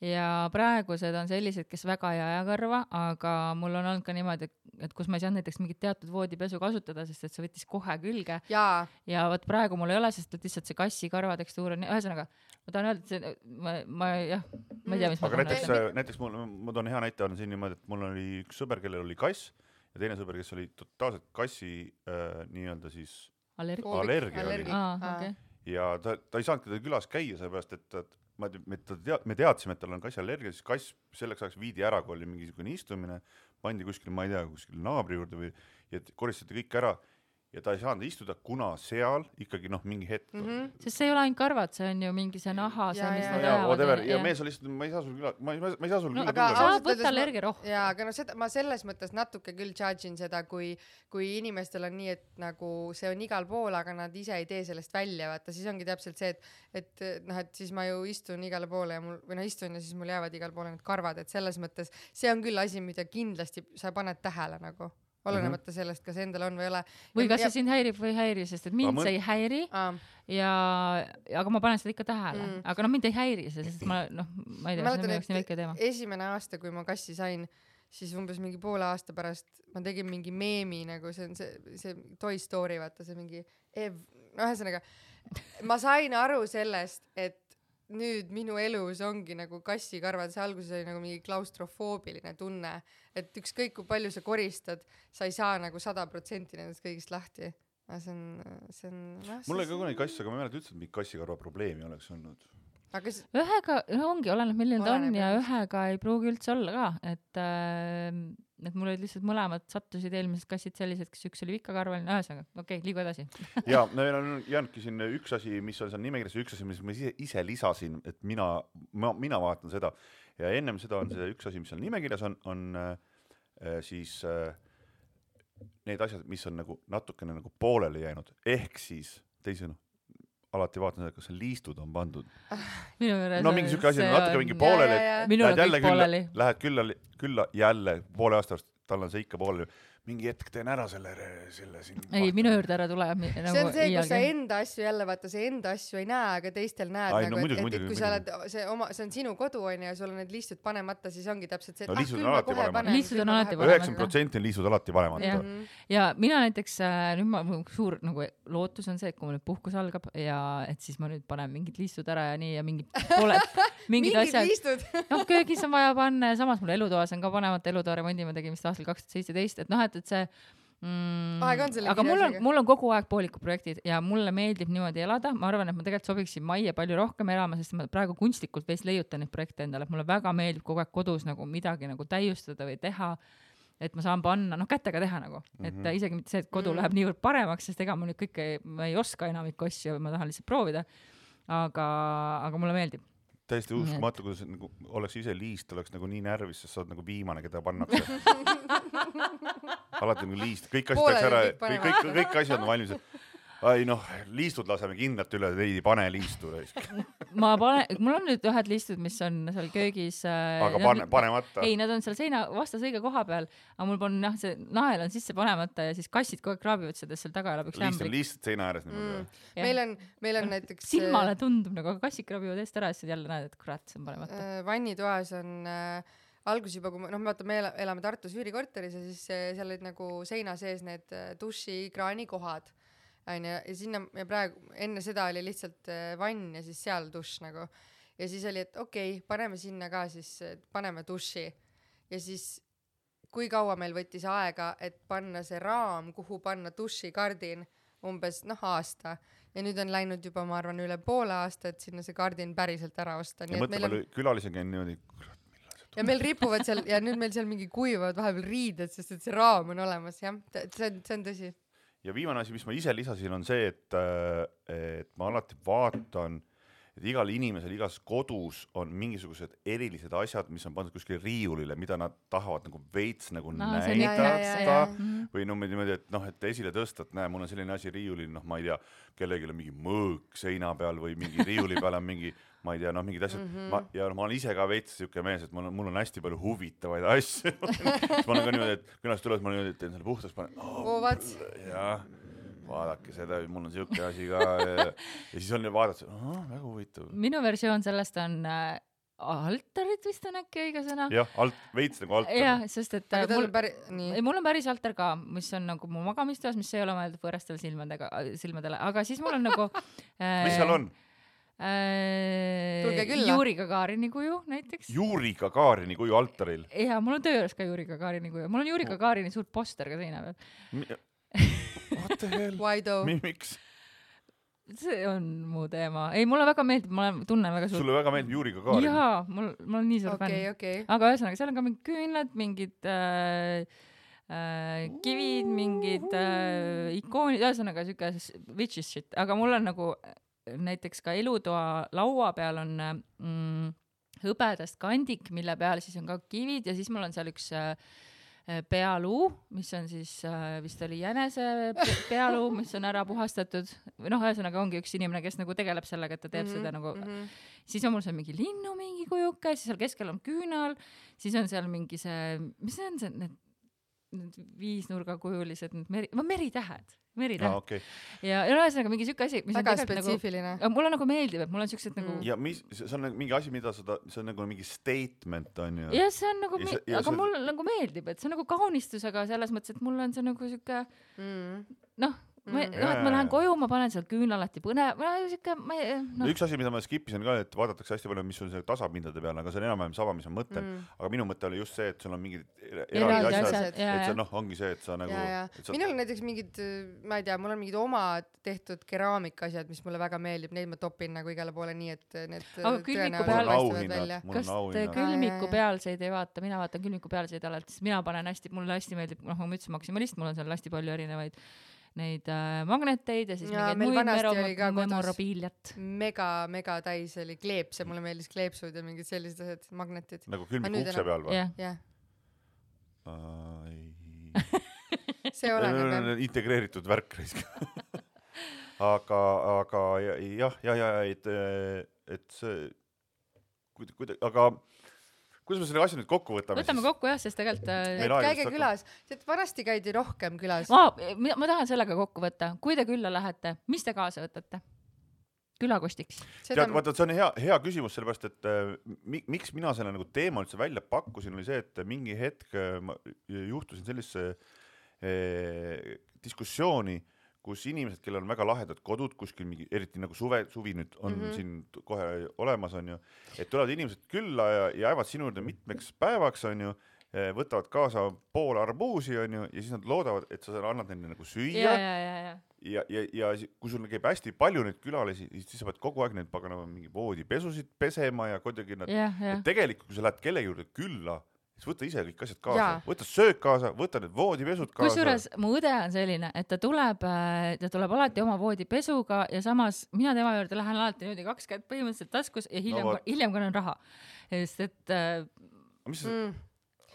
Speaker 1: ja praegused on sellised, kes väga ei aja karva, aga mul on olnud ka niimoodi, et kus ma ei saanud näiteks mingit teatud voodipesu kasutada, sest et see võttis kohe külge.
Speaker 2: Jaa. Ja
Speaker 1: võt praegu mul ei ole, sest et lihtsalt see kassi karva tekstuur on... Ühesõnaga, ma tahan öelda, et see, ma, ma, jah, ma ei tea, mis
Speaker 3: aga ma näiteks, näiteks mul, ma toon hea näite on siin niimoodi, et mul oli üks sõber, kellel oli kass ja teine sõber, kes oli totaalselt kassi äh, nii-öelda siis
Speaker 1: allergia,
Speaker 3: allergia,
Speaker 1: allergia. Ah, okay.
Speaker 3: Ja ta, ta ei saanud teda külas käia, seepärast, et, et ma, me, tead, me teadsime, et tal on kassi allergia, siis kass selleks ajaks viidi ära, kui oli mingisugune istumine, pandi kuskil, ma ei tea, kuskil naabri juurde või ja koristati kõik ära ja ta ei saanud istuda, kuna seal ikkagi noh, mingi hetk mm.
Speaker 2: -hmm.
Speaker 1: Sest see ei ole ainult karvad, see on ju mingi see naha, see, mis nad
Speaker 3: ajavad. Ja mees oli lihtsalt, ma ei saa sul küla, ma ei, ma ei saa sul
Speaker 1: no,
Speaker 3: küla
Speaker 1: tulla. Saab võtta allergia rohkem.
Speaker 2: Jaa, aga no seda, ma selles mõttes natuke küll charge'in seda, kui, kui inimestel on nii, et nagu see on igal pool, aga nad ise ei tee sellest välja, vaata, siis ongi täpselt see, et, et noh, et siis ma ju istun igale poole ja mul, või no istun ja siis mul jäävad igal poole need karvad, et selles mõttes see on küll asi, mida kindlasti sa paned tähele nagu. Olenemata sellest, kas endal on või ole.
Speaker 1: Või kas ja, see sind häirib või ei häiri, sest et mind mõt... see ei häiri
Speaker 2: Aa.
Speaker 1: ja aga ma panen seda ikka tähele. Mm. Aga no mind ei häiri see, sest ma, noh, ma ei tea, see on minu jaoks nii väike teema.
Speaker 2: Esimene aasta, kui ma kassi sain, siis umbes mingi poole aasta pärast ma tegin mingi meemi, nagu see on see, see Toy Story, vaata see mingi Ev... No, ühesõnaga, ma sain aru sellest, et nüüd minu elus ongi nagu kassi karvad, see alguses oli nagu mingi klaustrofoobiline tunne, et ükskõik kui palju sa koristad, sa ei saa nagu sada protsenti nendest kõigist lahti. See on, see on, no,
Speaker 3: mul oli ka kunagi kass, aga ma ei mäleta üldse, et mingi kassikarva probleemi oleks olnud.
Speaker 2: Aga s...
Speaker 1: ühega, ongi, oleneb milline ta on ja ühega ei pruugi üldse olla ka, et, äh, et mul olid lihtsalt mõlemad sattusid eelmised kassid sellised, kes üks oli vikkakarvaline, ühesõnaga, okei, okay, liigu edasi.
Speaker 3: ja, meil on jäänudki siin üks asi, mis on seal nimekirjas, üks asi, mis ma ise, ise lisasin, et mina, ma, mina vaatan seda ja ennem seda on see üks asi, mis on nimekirjas, on, on äh, siis äh, need asjad, mis on nagu natukene nagu poolele jäänud, ehk siis teisena alati vaatan seda, kas liistud on pandud. No mingi süke asi on natuke mingi poolele, lähed jälle külla, lähed külla, külla jälle poole aastast, tal on see ikka poolele. Mingi hetk teen ära selle, selle siin.
Speaker 1: Ei, minu juurde ära tule.
Speaker 2: Nagu see on see, kus sa enda asju jälle vaata, see enda asju ei näe, aga teistel näed.
Speaker 3: Ai,
Speaker 2: nagu,
Speaker 3: no, muidugi,
Speaker 2: et,
Speaker 3: muidugi,
Speaker 2: et kui
Speaker 3: muidugi.
Speaker 2: sa oled, see, oma, see on sinu kodu on ja sul on need liistud panemata, siis ongi täpselt see, et
Speaker 3: no,
Speaker 2: ah, küll ma kohe panen.
Speaker 1: Liistud on alati panemata.
Speaker 3: üheksakümmend protsenti on liistud alati panemata.
Speaker 1: Ja, ja mina näiteks, nüüd ma, suur nagu, lootus on see, et kui mul nüüd puhkus algab ja et siis ma nüüd panen mingid liistud ära ja nii ja mingid pole, mingid, mingid asjad. No, köögis on vaja panna ja samas mul elutoas on ka panemata elutoa remondi, ma tegin vist aastal kaks tuhat seitseteist, et noh, et, et see Mm, aga mul on, mul on kogu aeg poolikud projektid ja mulle meeldib niimoodi elada, ma arvan, et ma tegelikult sobiksin majja palju rohkem elama, sest ma praegu kunstlikult veits leiutan neid projekte endale, et mulle väga meeldib kogu aeg kodus nagu midagi nagu täiustada või teha, et ma saan panna, noh kätega teha nagu, et mm -hmm. isegi mitte see, et kodu mm -hmm. läheb niivõrd paremaks, sest ega ma nüüd kõike, ma ei oska enamikku asju, ma tahan lihtsalt proovida, aga, aga mulle meeldib.
Speaker 3: Täiesti uskumatu, kuidas nagu, oleks ise liist, oleks nagu nii närvis, sest sa oled nagu viimane, keda pannakse. Alati nagu liist, kõik asjad tehakse ära, kõik, kõik, kõik asjad on valmis. ai noh, liistud laseme kindlalt üle, ei pane liistu.
Speaker 1: ma pane, mul on nüüd ühed liistud, mis on seal köögis.
Speaker 3: Aga pane, panemata?
Speaker 1: Ei, nad on seal seina vastas õige koha peal, aga mul on jah, see nael on sisse panemata ja siis kassid kogu aeg kraabivad seda, seal taga elab üks
Speaker 3: lämbrik. Liist seina ääres niimoodi.
Speaker 2: Mm. Meil on, meil on näiteks...
Speaker 1: Silmale tundub nagu, aga kassid kraabivad eest ära ja siis jälle näed, et kurat, see on panemata.
Speaker 2: Vannitoas on äh, algus juba, kui noh, me vaata, me elame Tartus üürikorteris ja siis seal olid nagu seina sees need duši kraani kohad. Ja sinna ja praegu enne seda oli lihtsalt vann ja siis seal duš nagu ja siis oli, et okei, okay, paneme sinna ka siis, paneme duši ja siis kui kaua meil võttis aega, et panna see raam, kuhu panna duši kardin umbes noh aasta ja nüüd on läinud juba, ma arvan, üle poole aasta, et sinna see kardin päriselt ära osta.
Speaker 3: Ja mõtle, palju on... külalisega on niimoodi
Speaker 2: ja meil ripuvad seal ja nüüd meil seal mingi kuivavad vahepeal riided, sest et see raam on olemas, jah, see on, see on tõsi.
Speaker 3: Ja viimane asi, mis ma ise lisasin, on see, et, et ma alati vaatan, et igal inimesel igas kodus on mingisugused erilised asjad, mis on pandud kuskil riiulile, mida nad tahavad nagu veits nagu no, näidata või no niimoodi, et noh, et esile tõsta, et näe, mul on selline asi riiulil, noh, ma ei tea, kellelgi on mingi mõõk seina peal või mingi riiuli peal on mingi, ma ei tea, noh, mingid asjad mm -hmm. ma, ja no, ma olen ise ka veits siuke mees, et mul on, mul on hästi palju huvitavaid asju. ma olen ka niimoodi, et küllast tuleb, ma olen niimoodi, et teen selle puhtaks, panen
Speaker 2: oh,
Speaker 3: jah, vaadake seda, mul on siuke asi ka ja, ja siis on vaadata, oh, väga huvitav.
Speaker 1: Minu versioon sellest on äh, altarid vist on äkki õige sõna.
Speaker 3: jah, alt, veits nagu altar.
Speaker 1: jah, sest et
Speaker 2: aga
Speaker 1: mul,
Speaker 2: päri,
Speaker 1: ei, mul on päris altar ka, mis on nagu mu magamistoas, mis ei ole mõeldud võõrastele silmadega, silmadele, aga siis mul on nagu
Speaker 3: äh, mis seal on?
Speaker 1: Äh, Juri Gagarini kuju näiteks.
Speaker 3: Juri Gagarini kuju altaril?
Speaker 1: Ja, mul on töö juures ka Juri Gagarini kuju. Mul on Juri Gagarini suur poster ka seina peal.
Speaker 3: What the hell?
Speaker 2: Why though?
Speaker 3: Miks?
Speaker 1: See on mu teema. Ei, mulle väga meeldib, ma tunnen väga suur...
Speaker 3: Sulle väga meeldib Juri Gagarin?
Speaker 1: Jaa, mul, mul on nii suur
Speaker 2: okay,
Speaker 1: fänn.
Speaker 2: Okay.
Speaker 1: Aga ühesõnaga, seal on ka mingid küünlad, mingid äh, äh, kivid, mingid äh, ikoonid, ühesõnaga siuke witches shit. Aga mul on nagu... näiteks ka elutoa laua peal on mm, hõbedast kandik, mille peal siis on ka kivid ja siis mul on seal üks äh, pealuu, mis on siis äh, vist oli jänese pealuu, mis on ära puhastatud. Või noh, ühesõnaga ongi üks inimene, kes nagu tegeleb sellega, et ta teeb mm-hmm, seda nagu mm-hmm. Siis on mul seal mingi linnu mingi kujuke, siis seal keskel on küünal, siis on seal mingi see, mis see on see, need, need viisnurgakujulised, need meri, meritähed. Meritäht.
Speaker 3: Ah, okay.
Speaker 1: Ja, ja ühesõnaga mingi siuke asi, mis
Speaker 2: väga on spetsiifiline.
Speaker 1: Nagu, mulle nagu meeldib, et mul on siuksed mm. nagu...
Speaker 3: Ja mis, see on mingi asi, mida seda, see on nagu mingi statement on ju.
Speaker 1: Ja see on nagu,
Speaker 3: ja
Speaker 1: see,
Speaker 3: ja
Speaker 1: aga
Speaker 3: see...
Speaker 1: mulle nagu meeldib, et see on nagu kaunistus, aga selles mõttes, et mul on see nagu siuke, mm. noh, ma, mm. no, et ma lähen koju, ma panen seal küünla alati põne, ma siuke, ma ei, noh.
Speaker 3: Üks asi, mida ma skipisin ka, et vaadatakse hästi palju, mis on see tasapindade peal, aga see on enam-vähem sama, mis on mõte, mm. aga minu mõte oli just see, et sul on mingid eraldi asjad, asjad, et see noh, ongi see, et sa nagu...
Speaker 2: Ja, ja. Sa... Minul on näiteks mingid, ma ei tea, mul on mingid oma tehtud keraamika asjad, mis mulle väga meeldib, neid ma topin nagu igale poole nii, et need
Speaker 1: aga külmiku peal
Speaker 3: paistavad välja.
Speaker 1: Kas te külmiku pealseid ei vaata? Mina vaatan külmiku pealseid alati, sest mina panen hästi, mulle hästi meeldib, noh, ma ütlesin maksimalist, mul on seal hästi palju erinevaid neid äh, magneteid ja siis ja, mingeid muid memorabiiliat.
Speaker 2: Mega, mega täis oli kleepse, mulle meeldis kleepsud ja mingid sellised asjad, magnetid.
Speaker 3: Nagu külmiku ukse peal või?
Speaker 1: jah.
Speaker 2: Yeah.
Speaker 3: Uh,
Speaker 2: see oleneb.
Speaker 3: Integreeritud värk reisk. aga, aga jah, jah, jah, et, et see, kuida, kuida, aga kuidas me selle asja nüüd kokku võtame?
Speaker 1: Võtame siis? Kokku jah, sest tegelikult...
Speaker 2: Et käige külas, sest vanasti käidi rohkem külas.
Speaker 1: Ma, ma tahan sellega kokku võtta. Kui te külla lähete, mis te kaasa võtate? Külakostiks.
Speaker 3: Tead, vaata, see on hea, hea küsimus, sellepärast, et äh, miks mina selle nagu teema üldse välja pakkusin, oli see, et mingi hetk ma juhtusin sellise äh, diskussiooni, kus inimesed, kellel on väga lahedad kodud, kuskil mingi, eriti nagu suve, suvi nüüd on mm-hmm. siin kohe olemas, on ju, et tulevad inimesed külla ja, ja jäävad sinu juurde mitmeks päevaks, on ju, võtavad kaasa pool arbuusi, on ju, ja siis nad loodavad, et sa annad neile nagu süüa.
Speaker 1: Ja, ja, ja, ja.
Speaker 3: Ja, ja, ja kui sul käib hästi palju neid külalisi, siis sa pead kogu aeg neid paganama mingi voodipesusid pesema ja kuidagi nad...
Speaker 1: Ja, ja.
Speaker 3: Et tegelikult, kui sa lähed kellegi juurde külla, siis võta ise kõik asjad kaasa, võta söök kaasa, võta need voodipesud kaasa. Kusjuures
Speaker 1: mu õde on selline, et ta tuleb, ta tuleb alati oma voodipesuga ja samas mina tema juurde lähen alati niimoodi kaks kätt põhimõtteliselt taskus ja hiljem, no, hiljem kannan raha. Sest et...
Speaker 3: Mis see... Mm.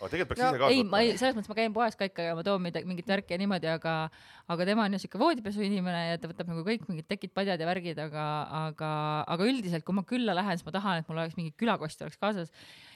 Speaker 3: aga tegelikult peaks
Speaker 2: No,
Speaker 3: ise kaasa
Speaker 1: ei, ma ei,
Speaker 3: võtma.
Speaker 1: selles mõttes ma käin poes ka ikka ja ma toon midagi, mingit värki ja niimoodi, aga, aga tema on ju siuke voodipesu inimene ja ta võtab nagu kõik mingid tekid, padjad ja värgid, aga, aga, aga üldiselt, kui ma külla lähen, siis ma tahan, et mul oleks mingi külakost oleks kaasas.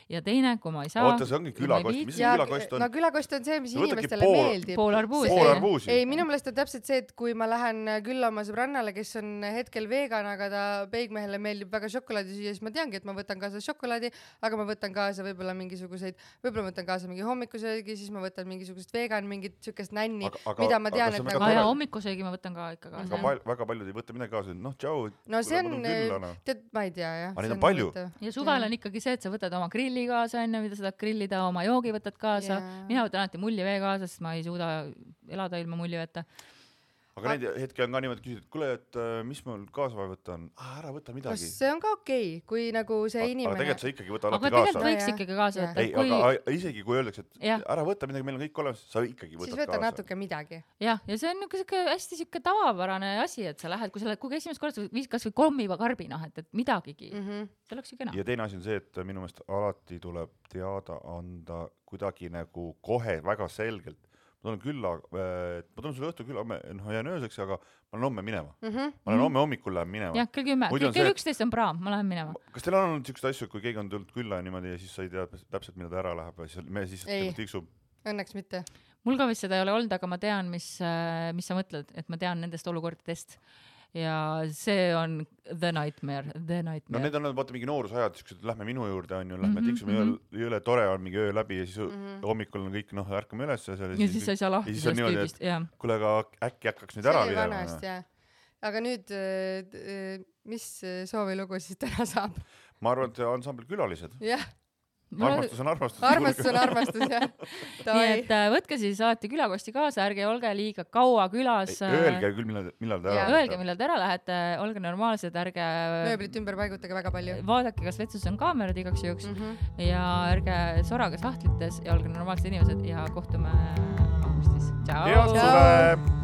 Speaker 1: Ja teine, kui ma ei saa.
Speaker 3: Oota, see ongi külakost. Mis see külakost on?
Speaker 2: No külakost on see, mis
Speaker 3: Sa võtadki
Speaker 2: inimestele
Speaker 3: pool-
Speaker 2: meeldib.
Speaker 1: Pool arbuusi.
Speaker 3: Pool arbuusi.
Speaker 2: Ei, minu meelest on täpselt see, et kui ma lähen külla oma sõbrannale, kes on hetkel vegan, aga ta peigmehele meeldib väga šokolaadi süüa, siis ma teangi, et ma võtan kaasa šokolaadi, aga ma võtan kaasa võib-olla mingisuguseid, võib-olla võtan kaasa mingi hommikusöögi, siis ma võtan mingisugust vegan, mingit sükest nänni,
Speaker 3: Aga- aga-
Speaker 2: mida ma
Speaker 3: aga
Speaker 2: tean,
Speaker 3: see on
Speaker 2: et
Speaker 3: väga
Speaker 2: nagu...
Speaker 1: Aga ja
Speaker 3: tore.
Speaker 1: hommikusöögi ma võtan ka ikka kaasa.
Speaker 3: Väga, pal-, väga paljud ei võta midagi kaasa. Noh, tšau.
Speaker 2: No see on,
Speaker 3: Külla, no.
Speaker 2: tead, ma ei tea, jah.
Speaker 3: Aga neid
Speaker 2: See
Speaker 3: on palju.
Speaker 2: huvitav.
Speaker 1: Ja suvel on ikkagi see, et sa võtad oma grilli kaasa enne, mida sa tahad grillida, oma joogi võtad kaasa.
Speaker 2: Jaa.
Speaker 1: Mina võtan alati mullivee kaasa, sest ma ei suuda elada ilma mulliveta.
Speaker 3: Aga neid hetke on ka niimoodi küsitud, et kuule, et äh, mis mul kaasa vaja võtta on? Ah, ära võta
Speaker 2: Kas
Speaker 3: midagi.
Speaker 2: see on ka okei, kui nagu see
Speaker 3: Aga
Speaker 2: inimene...
Speaker 3: tegelikult sa ikkagi võta
Speaker 1: Aga
Speaker 3: alati
Speaker 1: tegelikult
Speaker 3: kaasa.
Speaker 1: võiks
Speaker 2: Jaa,
Speaker 1: ikkagi kaasa
Speaker 2: jaa.
Speaker 1: võtta.
Speaker 3: Ei,
Speaker 1: Kui...
Speaker 3: aga isegi kui öeldakse, et
Speaker 1: Jah.
Speaker 3: ära võta midagi, meil on kõik olemas, sa ikkagi
Speaker 2: siis
Speaker 3: võtad
Speaker 2: võta
Speaker 3: kaasa.
Speaker 2: natuke midagi.
Speaker 1: jah, ja see on niuke siuke hästi siuke tavapärane asi, et sa lähed, kui sa lähed, kui esimest korda viis kas või kommiva karbi, noh, et, et midagigi.
Speaker 2: Mm -hmm.
Speaker 1: See oleks ju kena.
Speaker 3: Ja teine asi on see, et minu meelest alati tuleb teada anda kuidagi nagu kohe väga selgelt. Ma tulen külla, et ma tulen sulle õhtu külla, noh, jään ööseks, aga ma olen homme minema.
Speaker 2: Mm -hmm.
Speaker 3: Ma olen homme hommikul lähen minema.
Speaker 1: jah, kell kümme,
Speaker 3: Muidu on
Speaker 1: kell
Speaker 3: see-
Speaker 1: üksteist on praam, ma lähen minema.
Speaker 3: Kas teil on olnud siukseid asju, kui keegi on tulnud külla ja niimoodi ja siis sa ei tea täpselt, mida ta ära läheb ja siis me siis
Speaker 2: Ei.
Speaker 3: tiksub.
Speaker 2: Õnneks mitte.
Speaker 1: Mul ka vist seda ei ole olnud, aga ma tean, mis, mis sa mõtled, et ma tean nendest olukordadest. Ja see on the nightmare, the
Speaker 3: No
Speaker 1: nightmare.
Speaker 3: need on vaata mingi noorusajad, siuksed, lähme minu juurde on ju, lähme
Speaker 1: Mhm,
Speaker 3: tiksume
Speaker 1: mhm.
Speaker 3: jõle, jõle tore on mingi öö läbi ja siis
Speaker 2: Mhm.
Speaker 3: hommikul on kõik, noh, ärkame üles ja seal
Speaker 1: ja siis sa ei saa lahti
Speaker 3: ja siis on
Speaker 1: sellest
Speaker 3: niimoodi,
Speaker 1: tüübist, jah.
Speaker 3: kuule, aga äkki hakkaks nüüd
Speaker 2: See
Speaker 3: ära
Speaker 2: oli
Speaker 3: minema.
Speaker 2: vanasti, jah. Aga nüüd, äh, mis soovilugu siis täna saab?
Speaker 3: Ma arvan, et ansambel Külalised.
Speaker 2: jah,
Speaker 3: Armastus on armastus.
Speaker 2: armastus on armastus, jah.
Speaker 1: nii et äh, võtke siis alati külakosti kaasa, ärge olge liiga kaua külas.
Speaker 3: Öelge küll, millal, millal te ära
Speaker 2: Jaa.
Speaker 1: Öelge, millal te ära lähete, olge normaalsed, ärge
Speaker 2: mööblit ümber paigutage väga palju.
Speaker 1: vaadake, kas vetsus on kaamerad igaks juhuks
Speaker 2: Mm -hmm.
Speaker 1: ja ärge sorage sahtlites ja olge normaalsed inimesed ja kohtume augustis.
Speaker 3: head
Speaker 1: Tšau!
Speaker 3: suve!